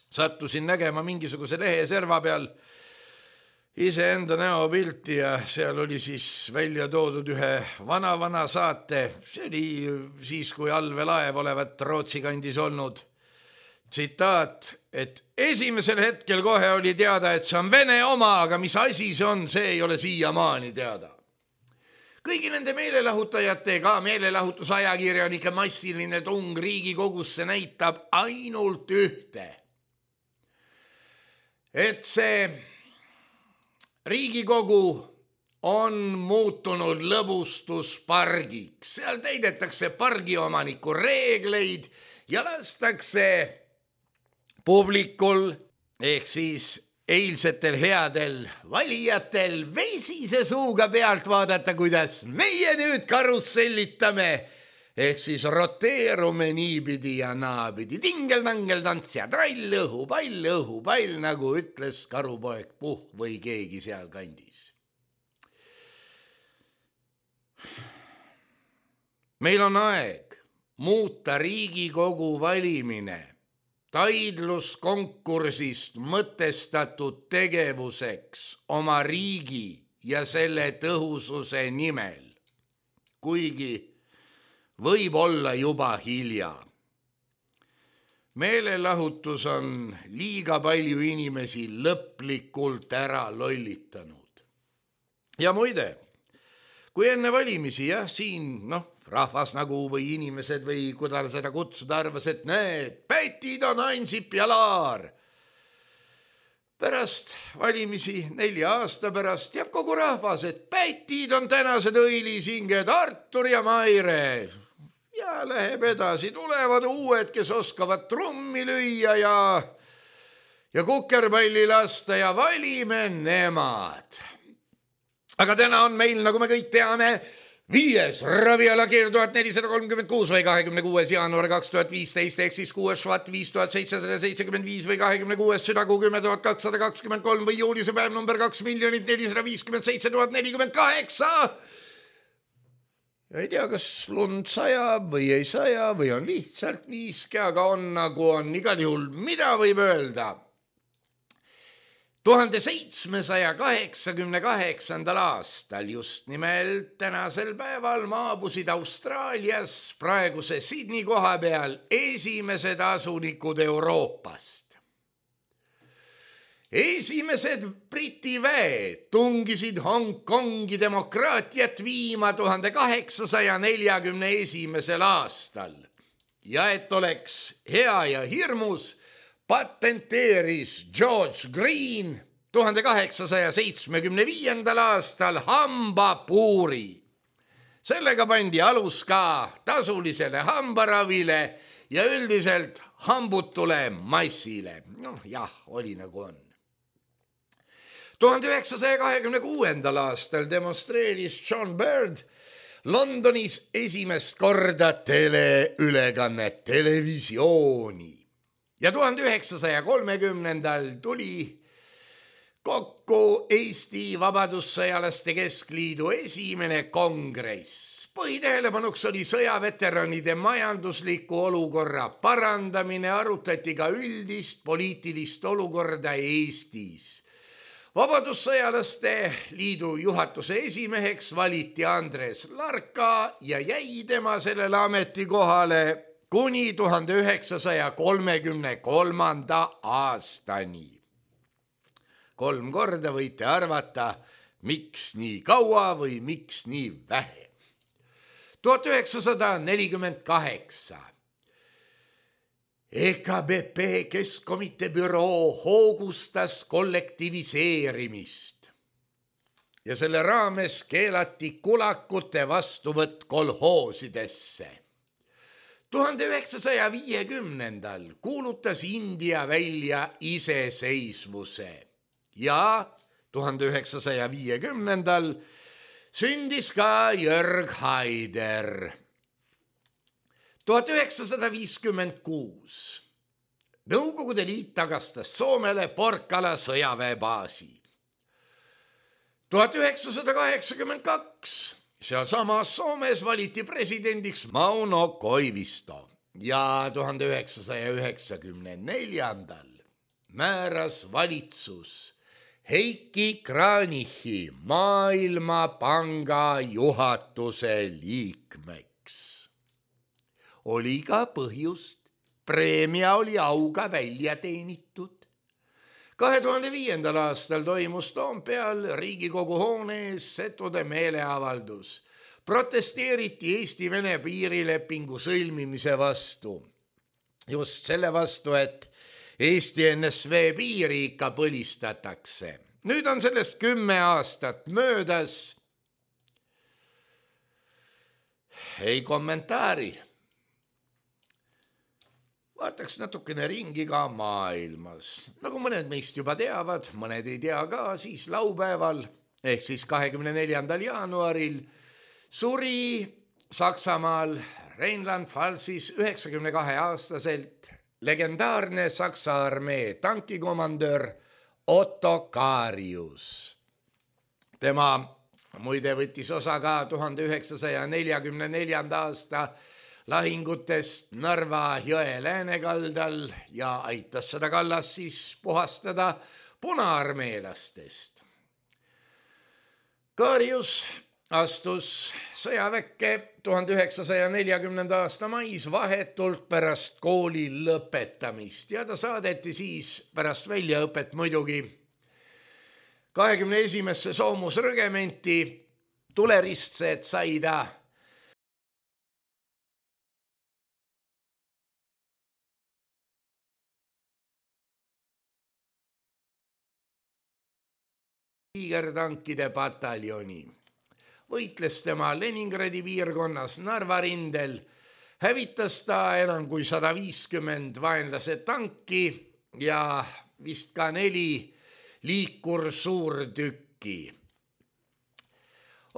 sattusin nägema mingisuguse lehe serva peal iseenda näopilti ja seal oli siis välja toodud ühe vana-vana saate. See oli siis, kui allveelaev olevat Rootsi kandis olnud. Tsitaat, et esimesel hetkel kohe oli teada, et see on Vene oma, aga mis asi see on, see ei ole siiamaani teada. Kõigi nende meelelahutajate, ka meelelahutusajakirjanike massiline tung Riigikogusse näitab ainult ühte. Et see Riigikogu on muutunud lõbustuspargiks. Seal täidetakse pargiomaniku reegleid ja lastakse publikul ehk siis eilsetel headel valijatel vesise suuga pealt vaadata, kuidas meie nüüd karussellitame ehk siis roteerume niipidi ja naapidi. Tingel-tangel tants ja trall, õhupall, õhupall, nagu ütles karupoeg Puh või keegi seal kandis. Meil on aeg muuta Riigikogu valimine taidluskonkursist mõtestatud tegevuseks oma riigi ja selle tõhususe nimel, kuigi võib olla juba hilja. Meelelahutus on liiga palju inimesi lõplikult ära lollitanud. Ja muide, kui enne valimisi, jah, siin, noh, rahvas nagu või inimesed või kuidas seda kutsuda arvas, et need pätid on Ansip ja Laar. Pärast valimisi, nelja aasta pärast, teab kogu rahvas, et pätid on tänased õilisinged Artur ja Maire. Ja läheb edasi, tulevad uued, kes oskavad trummi lüüa ja, ja kukerpalli lasta ja valime nemad. Aga täna on meil, nagu me kõik teame, viies ravialakeer tuhat nelisada kolmkümmend kuus või kahekümne kuues jaanuar kaks tuhat viisteist ehk siis kuues švat viis tuhat seitsesada seitsekümmend viis või kahekümne kuues südakuu kümme tuhat kakssada kakskümmend kolm või juulise päev number kaks miljonit nelisada viiskümmend seitse tuhat nelikümmend kaheksa. Ei tea, kas lund sajab või ei saja või on lihtsalt niiske, aga on nagu on. Igal juhul, mida võib öelda? tuhande seitsmesaja kaheksakümne kaheksandal aastal just nimelt tänasel päeval maabusid Austraalias praeguse Sydney koha peal esimesed asunikud Euroopast. Esimesed Briti väed tungisid Hongkongi demokraatiat viima tuhande kaheksasaja neljakümne esimesel aastal. Ja et oleks hea ja hirmus, patenteeris George Green tuhande kaheksasaja seitsmekümne viiendal aastal hambapuuri. Sellega pandi alus ka tasulisele hambaravile ja üldiselt hambutule massile. Noh, jah, oli nagu on. tuhande üheksasaja kahekümne kuuendal aastal demonstreeris John Bird Londonis esimest korda teleülekannet, televisiooni. Ja tuhande üheksasaja kolmekümnendal tuli kokku Eesti Vabadussõjalaste Keskliidu esimene kongress. Põhitähelepanuks oli sõjaveteranide majandusliku olukorra parandamine, arutati ka üldist poliitilist olukorda Eestis. Vabadussõjalaste liidu juhatuse esimeheks valiti Andres Larka ja jäi tema sellele ametikohale kuni tuhande üheksasaja kolmekümne kolmanda aastani. Kolm korda võite arvata, miks nii kaua või miks nii vähe. tuhat üheksasada nelikümmend kaheksa. E K B P Keskkomitee büroo hoogustas kollektiviseerimist ja selle raames keelati kulakute vastuvõtt kolhoosidesse. tuhande üheksasaja viiekümnendal kuulutas India välja iseseisvuse ja tuhande üheksasaja viiekümnendal sündis ka Jörg Haider. tuhat üheksasada viiskümmend kuus Nõukogude Liit tagastas Soomele Porkala sõjaväebaasi. tuhat üheksasada kaheksakümmend kaks sealsamas Soomes valiti presidendiks Mauno Koivisto ja tuhande üheksasaja üheksakümne neljandal määras valitsus Heiki Kranichi Maailmapanga juhatuse liikmeks. Oli ka põhjust, preemia oli auga välja teenitud. kahe tuhande viiendal aastal toimus Toompeal Riigikogu hoone ees setude meeleavaldus. Protesteeriti Eesti-Vene piirilepingu sõlmimise vastu. Just selle vastu, et Eesti N S V piiri ikka põlistatakse. Nüüd on sellest kümme aastat möödas. Ei kommentaari. Vaataks natukene ringi ka maailmas. Nagu mõned meist juba teavad, mõned ei tea ka, siis laupäeval, ehk siis kahekümne neljandal jaanuaril suri Saksamaal Rheinland-Pfalzis üheksakümne kahe aastaselt legendaarne Saksa armee tankikomandör Otto Karius. Tema muide võttis osa ka tuhande üheksasaja neljakümne neljanda aasta lahingutest Narva jõe läänekaldal ja aitas seda kallast siis puhastada punaarmeelastest. Karius astus sõjaväkke tuhande üheksasaja neljakümnenda aasta mais vahetult pärast kooli lõpetamist ja ta saadeti siis pärast väljaõpet muidugi kahekümne esimesse soomusrõgementi. Tuleristsed sai ta tiigertankide pataljoni. Võitles tema Leningradi piirkonnas Narva rindel, hävitas ta enam kui sada viiskümmend vaenlase tanki ja vist ka neli liikur suurtükki.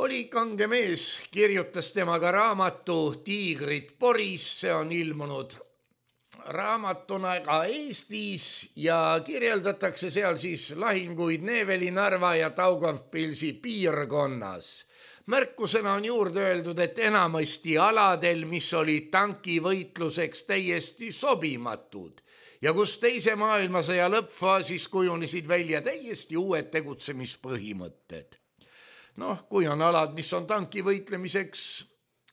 Oli kange mees, kirjutas temaga raamatu Tiigrid Poris, see on ilmunud raamatuna ka Eestis ja kirjeldatakse seal siis lahinguid Neeveli, Narva ja Daugavpilsi piirkonnas. Märkusena on juurde öeldud, et enamasti aladel, mis olid tankivõitluseks täiesti sobimatud ja kus teise maailmasõja lõppfaasis kujunesid välja täiesti uued tegutsemispõhimõtted. Noh, kui on alad, mis on tankivõitlemiseks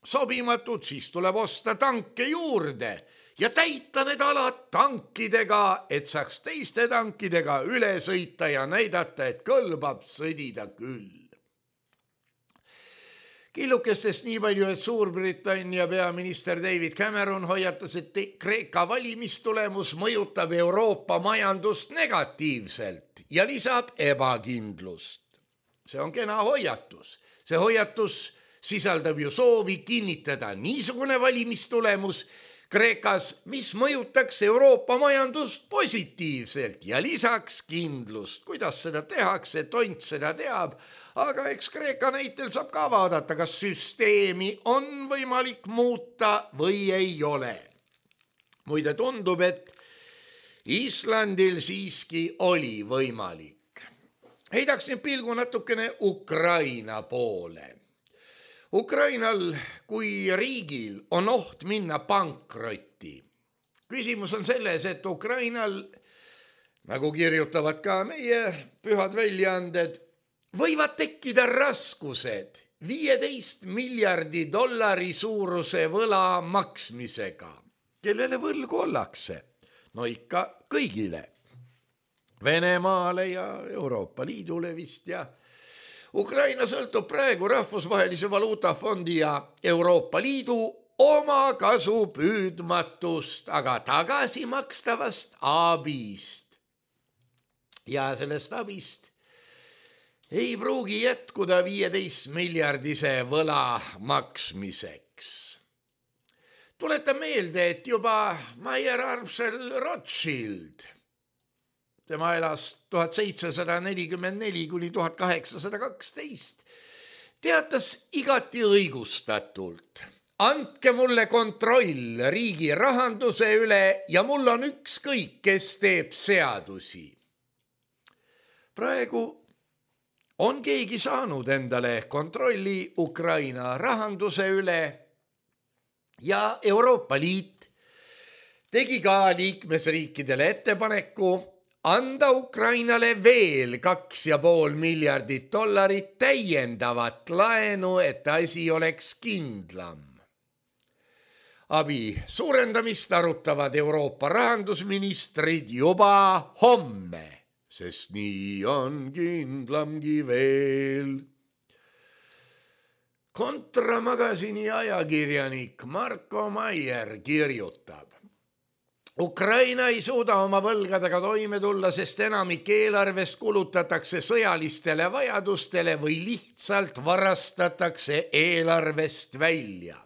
sobimatud, siis tuleb osta tanke juurde ja täita need alad tankidega, et saaks teiste tankidega üle sõita ja näidata, et kõlbab sõdida küll. Killukestest nii palju, et Suurbritannia peaminister David Cameron hoiatas, et Kreeka valimistulemus mõjutab Euroopa majandust negatiivselt ja lisab ebakindlust. See on kena hoiatus. See hoiatus sisaldab ju soovi kinnitada niisugune valimistulemus Kreekas, mis mõjutaks Euroopa majandust positiivselt ja lisaks kindlust. Kuidas seda tehakse, tont seda teab, aga eks Kreeka näitel saab ka vaadata, kas süsteemi on võimalik muuta või ei ole. Muide tundub, et Islandil siiski oli võimalik. Heidaks nüüd pilgu natukene Ukraina poole. Ukrainal kui riigil on oht minna pankrotti. Küsimus on selles, et Ukrainal, nagu kirjutavad ka meie pühad väljaanded, võivad tekkida raskused viieteist miljardi dollari suuruse võla maksmisega. Kellele võlgu ollakse? No ikka kõigile. Venemaale ja Euroopa Liidule vist ja Ukraina sõltub praegu Rahvusvahelise Valuutafondi ja Euroopa Liidu oma kasu püüdmatust, aga tagasi makstavast abist. Ja sellest abist ei pruugi jätkuda viieteist miljardise võla maksmiseks. Tuletan meelde, et juba Mayer Armstrong Rothschild, tema elas tuhat seitsesada nelikümmend neli kuni tuhat kaheksasada kaksteist, teatas igati õigustatult andke mulle kontroll riigi rahanduse üle ja mul on ükskõik, kes teeb seadusi. Praegu on keegi saanud endale kontrolli Ukraina rahanduse üle ja Euroopa Liit tegi ka liikmesriikidele ettepaneku anda Ukrainale veel kaks ja pool miljardit dollarit täiendavat laenu, et asi oleks kindlam. Abi suurendamist arutavad Euroopa rahandusministrid juba homme, sest nii on kindlamgi veel. Kontramakasini ajakirjanik Marko Maier kirjutab. Ukraina ei suuda oma võlgadega toime tulla, sest enamik eelarvest kulutatakse sõjalistele vajadustele või lihtsalt varastatakse eelarvest välja.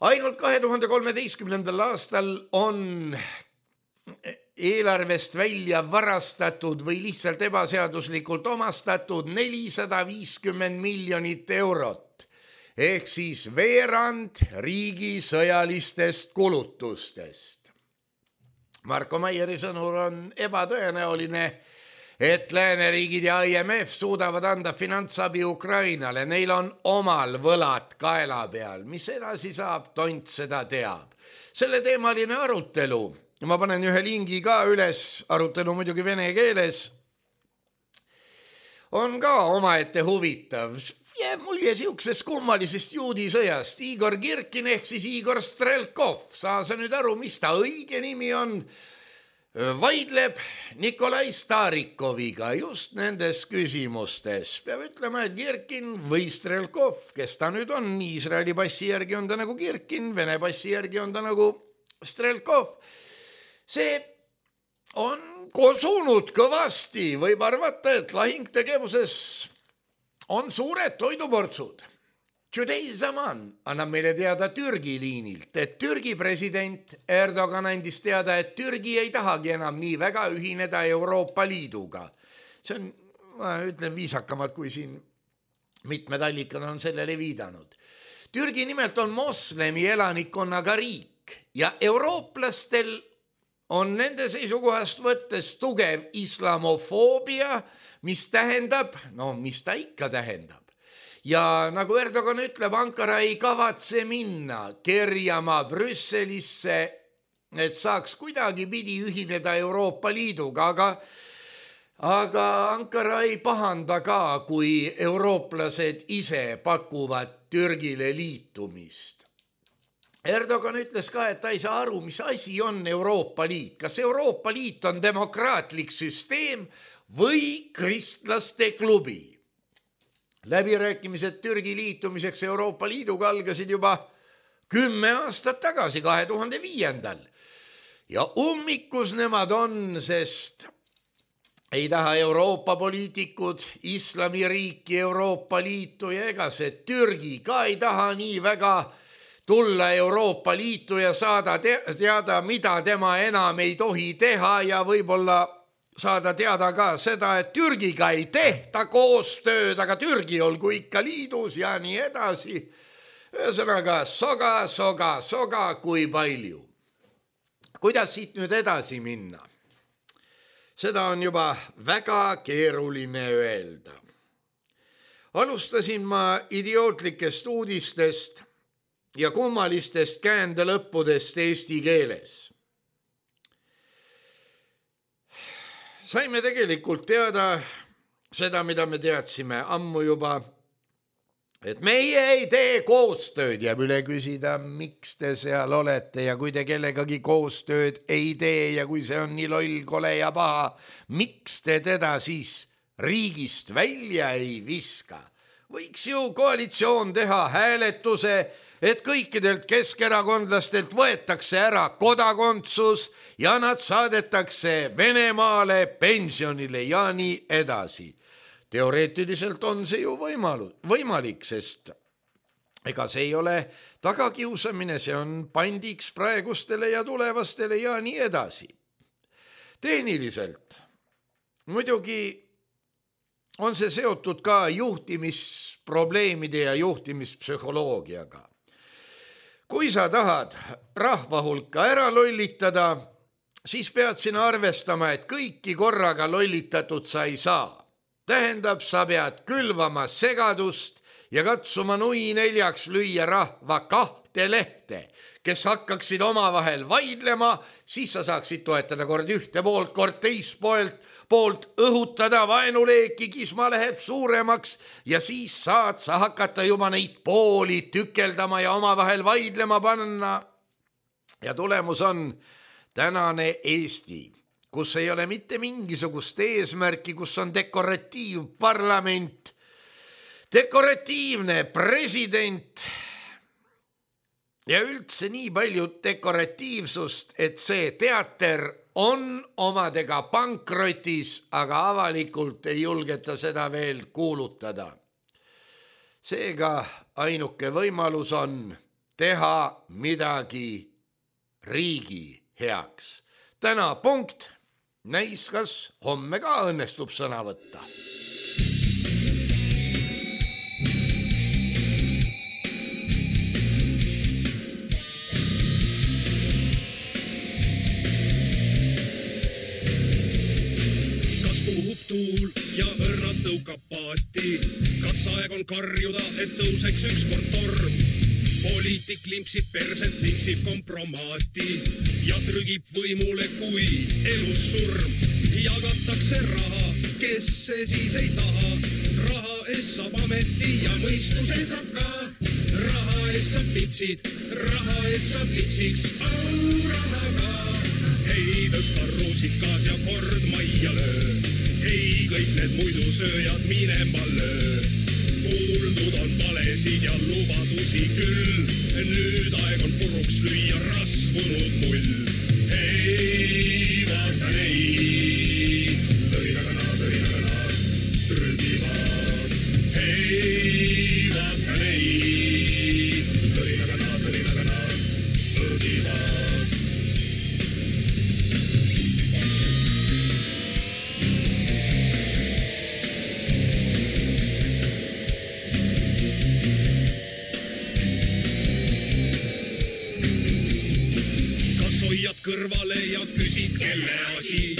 Ainult kahe tuhande kolmeteistkümnendal aastal on eelarvest välja varastatud või lihtsalt ebaseaduslikult omastatud nelisada viiskümmend miljonit eurot, ehk siis veerand riigi sõjalistest kulutustest. Marko Maieri sõnul on ebatõenäoline, et lääneriigid ja I M F suudavad anda finantsabi Ukrainale. Neil on omal võlad kaela peal. Mis edasi saab, tont seda teab. Selle teemaline arutelu, ma panen ühe lingi ka üles, arutelu muidugi vene keeles, on ka omaette huvitav. Jääb mulje siuksest kummalisest juudisõjast. Igor Kirkin ehk siis Igor Strelkov, saa sa nüüd aru, mis ta õige nimi on, vaidleb Nikolai Starikoviga just nendes küsimustes. Peab ütlema, et Kirkin või Strelkov, kes ta nüüd on, Iisraeli passi järgi on ta nagu Kirkin, Vene passi järgi on ta nagu Strelkov. See on kosunud kõvasti, võib arvata, et lahingtegevuses on suured toiduportsud. Today Zaman annab meile teada Türgi liinilt, et Türgi president Erdogan andis teada, et Türgi ei tahagi enam nii väga ühineda Euroopa Liiduga. See on, ma ütlen viisakamalt, kui siin mitmed allikad on sellele viidanud. Türgi nimelt on moslemi elanikkonnaga riik ja eurooplastel on nende seisukohast võttes tugev islamofoobia, mis tähendab, no mis ta ikka tähendab. Ja nagu Erdogan ütleb, Ankara ei kavatse minna kerjama Brüsselisse, et saaks kuidagi pidi ühineda Euroopa Liiduga, aga, aga Ankara ei pahanda ka, kui eurooplased ise pakuvad Türgile liitumist. Erdogan ütles ka, et ta ei saa aru, mis asi on Euroopa Liit. Kas Euroopa Liit on demokraatlik süsteem või kristlaste klubi? Läbirääkimised Türgi liitumiseks Euroopa Liiduga algasid juba kümme aastat tagasi, kahe tuhande viiendal. Ja ummikus nemad on, sest ei taha Euroopa poliitikud islamiriiki Euroopa Liitu ja ega see Türgi ka ei taha nii väga tulla Euroopa Liitu ja saada teada, mida tema enam ei tohi teha ja võib-olla saada teada ka seda, et Türgiga ei tehta koostööd, aga Türgi olgu ikka liidus ja nii edasi. Ühesõnaga, soga, soga, soga, kui palju. Kuidas siit nüüd edasi minna? Seda on juba väga keeruline öelda. Alustasin ma idiootlikest uudistest ja kummalistest käändelõppudest eesti keeles. Saime tegelikult teada seda, mida me teadsime ammu juba, et meie ei tee koostööd ja üle küsida, miks te seal olete ja kui te kellegagi koostööd ei tee ja kui see on nii loll, kole ja paha, miks te teda siis riigist välja ei viska? Võiks ju koalitsioon teha hääletuse, et kõikidelt keskerakondlastelt võetakse ära kodakondsus ja nad saadetakse Venemaale pensionile ja nii edasi. Teoreetiliselt on see ju võimalu, võimalik, sest ega see ei ole tagakiusamine, see on pandiks praegustele ja tulevastele ja nii edasi. Tehniliselt muidugi on see seotud ka juhtimisprobleemide ja juhtimispsühholoogiaga. kui sa tahad rahva hulka ära lollitada, siis pead sina arvestama, et kõiki korraga lollitatud sa ei saa. Tähendab, sa pead külvama segadust ja katsuma nui neljaks lüüa rahva kahte lehte, kes hakkaksid omavahel vaidlema, siis sa saaksid toetada kord ühte poolt, kord teist poolt, poolt õhutada vaenuleeki, kisma läheb suuremaks ja siis saad sa hakata juba neid pooli tükeldama ja omavahel vaidlema panna. Ja tulemus on tänane Eesti, kus ei ole mitte mingisugust eesmärki, kus on dekoratiivparlament, dekoratiivne president ja üldse nii palju dekoratiivsust, et see teater on omadega pankrotis, aga avalikult ei julgeta seda veel kuulutada. Seega ainuke võimalus on teha midagi riigi heaks. Täna punkt, näis kas homme ka õnnestub sõna võtta. Tuul ja õrnad tõukab paati, kas aeg on karjuda, et tõuseks ükskord torm. Poliitik limpsib perset, limpsib kompromaati ja trügib võimule, kui elus surm. Jagatakse raha, kes see siis ei taha, raha eest saab ameti ja mõistuse saab ka. Raha eest saab pitsid, raha eest saab litsiks, au raha ka. Hei, tõsta ruusikas ja kord majja löö. Hei, kõik need muidu sööjad minema löö. Kuuldud on valesid ja lubadusi küll. Nüüd aeg on puruks lüüa rasvunud mull. Hei, vaata neid. Lõinagana, lõinagana, trügivad. Hei, vaata neid. Lõinagana, lõinagana, õdivad. Kõrvale ja küsid, kelle asi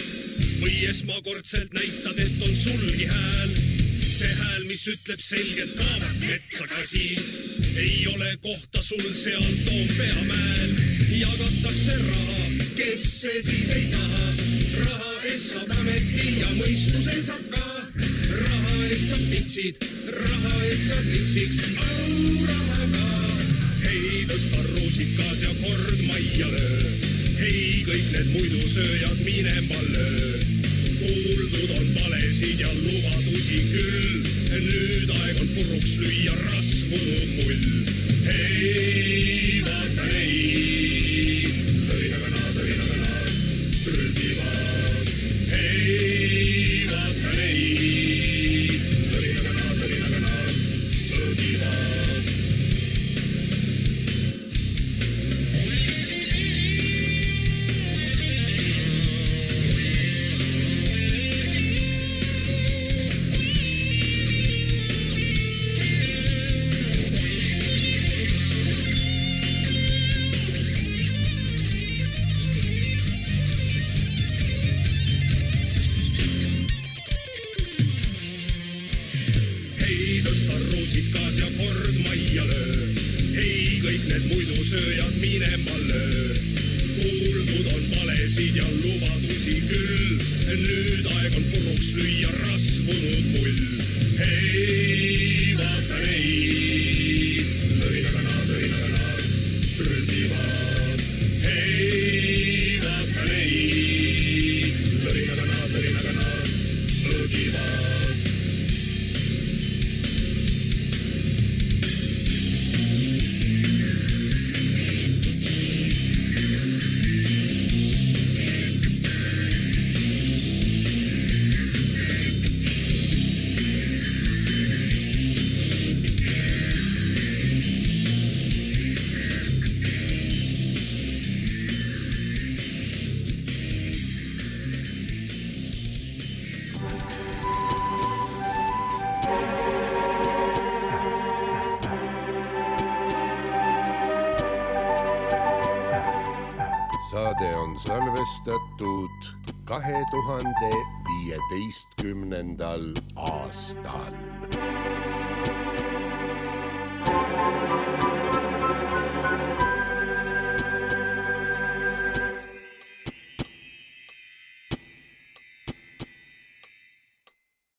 või esmakordselt näitad, et on sulgi hääl. See hääl, mis ütleb selgelt kaabab metsakasi, ei ole kohta sul seal Toompea mäel. Jagatakse raha, kes see siis ei taha, raha eest saab ameti ja mõistuse saab ka. Raha eest saab pitsid, raha eest saab litsiks, au raha ka. Hei, tõsta ruusikas ja kord majja löö. Hei, kõik need muidu sööjad minema löö. Kuuldud on valesid ja lubadusi küll. Nüüd aeg on puruks lüüa rasvunud mull. Hei, vaata neid. Lõinagana, lõinagana, trügivad. Hei, vaata neid. Lõinagana, lõinagana, õdivad. on salvestatud kahe tuhande viieteistkümnendal aastal.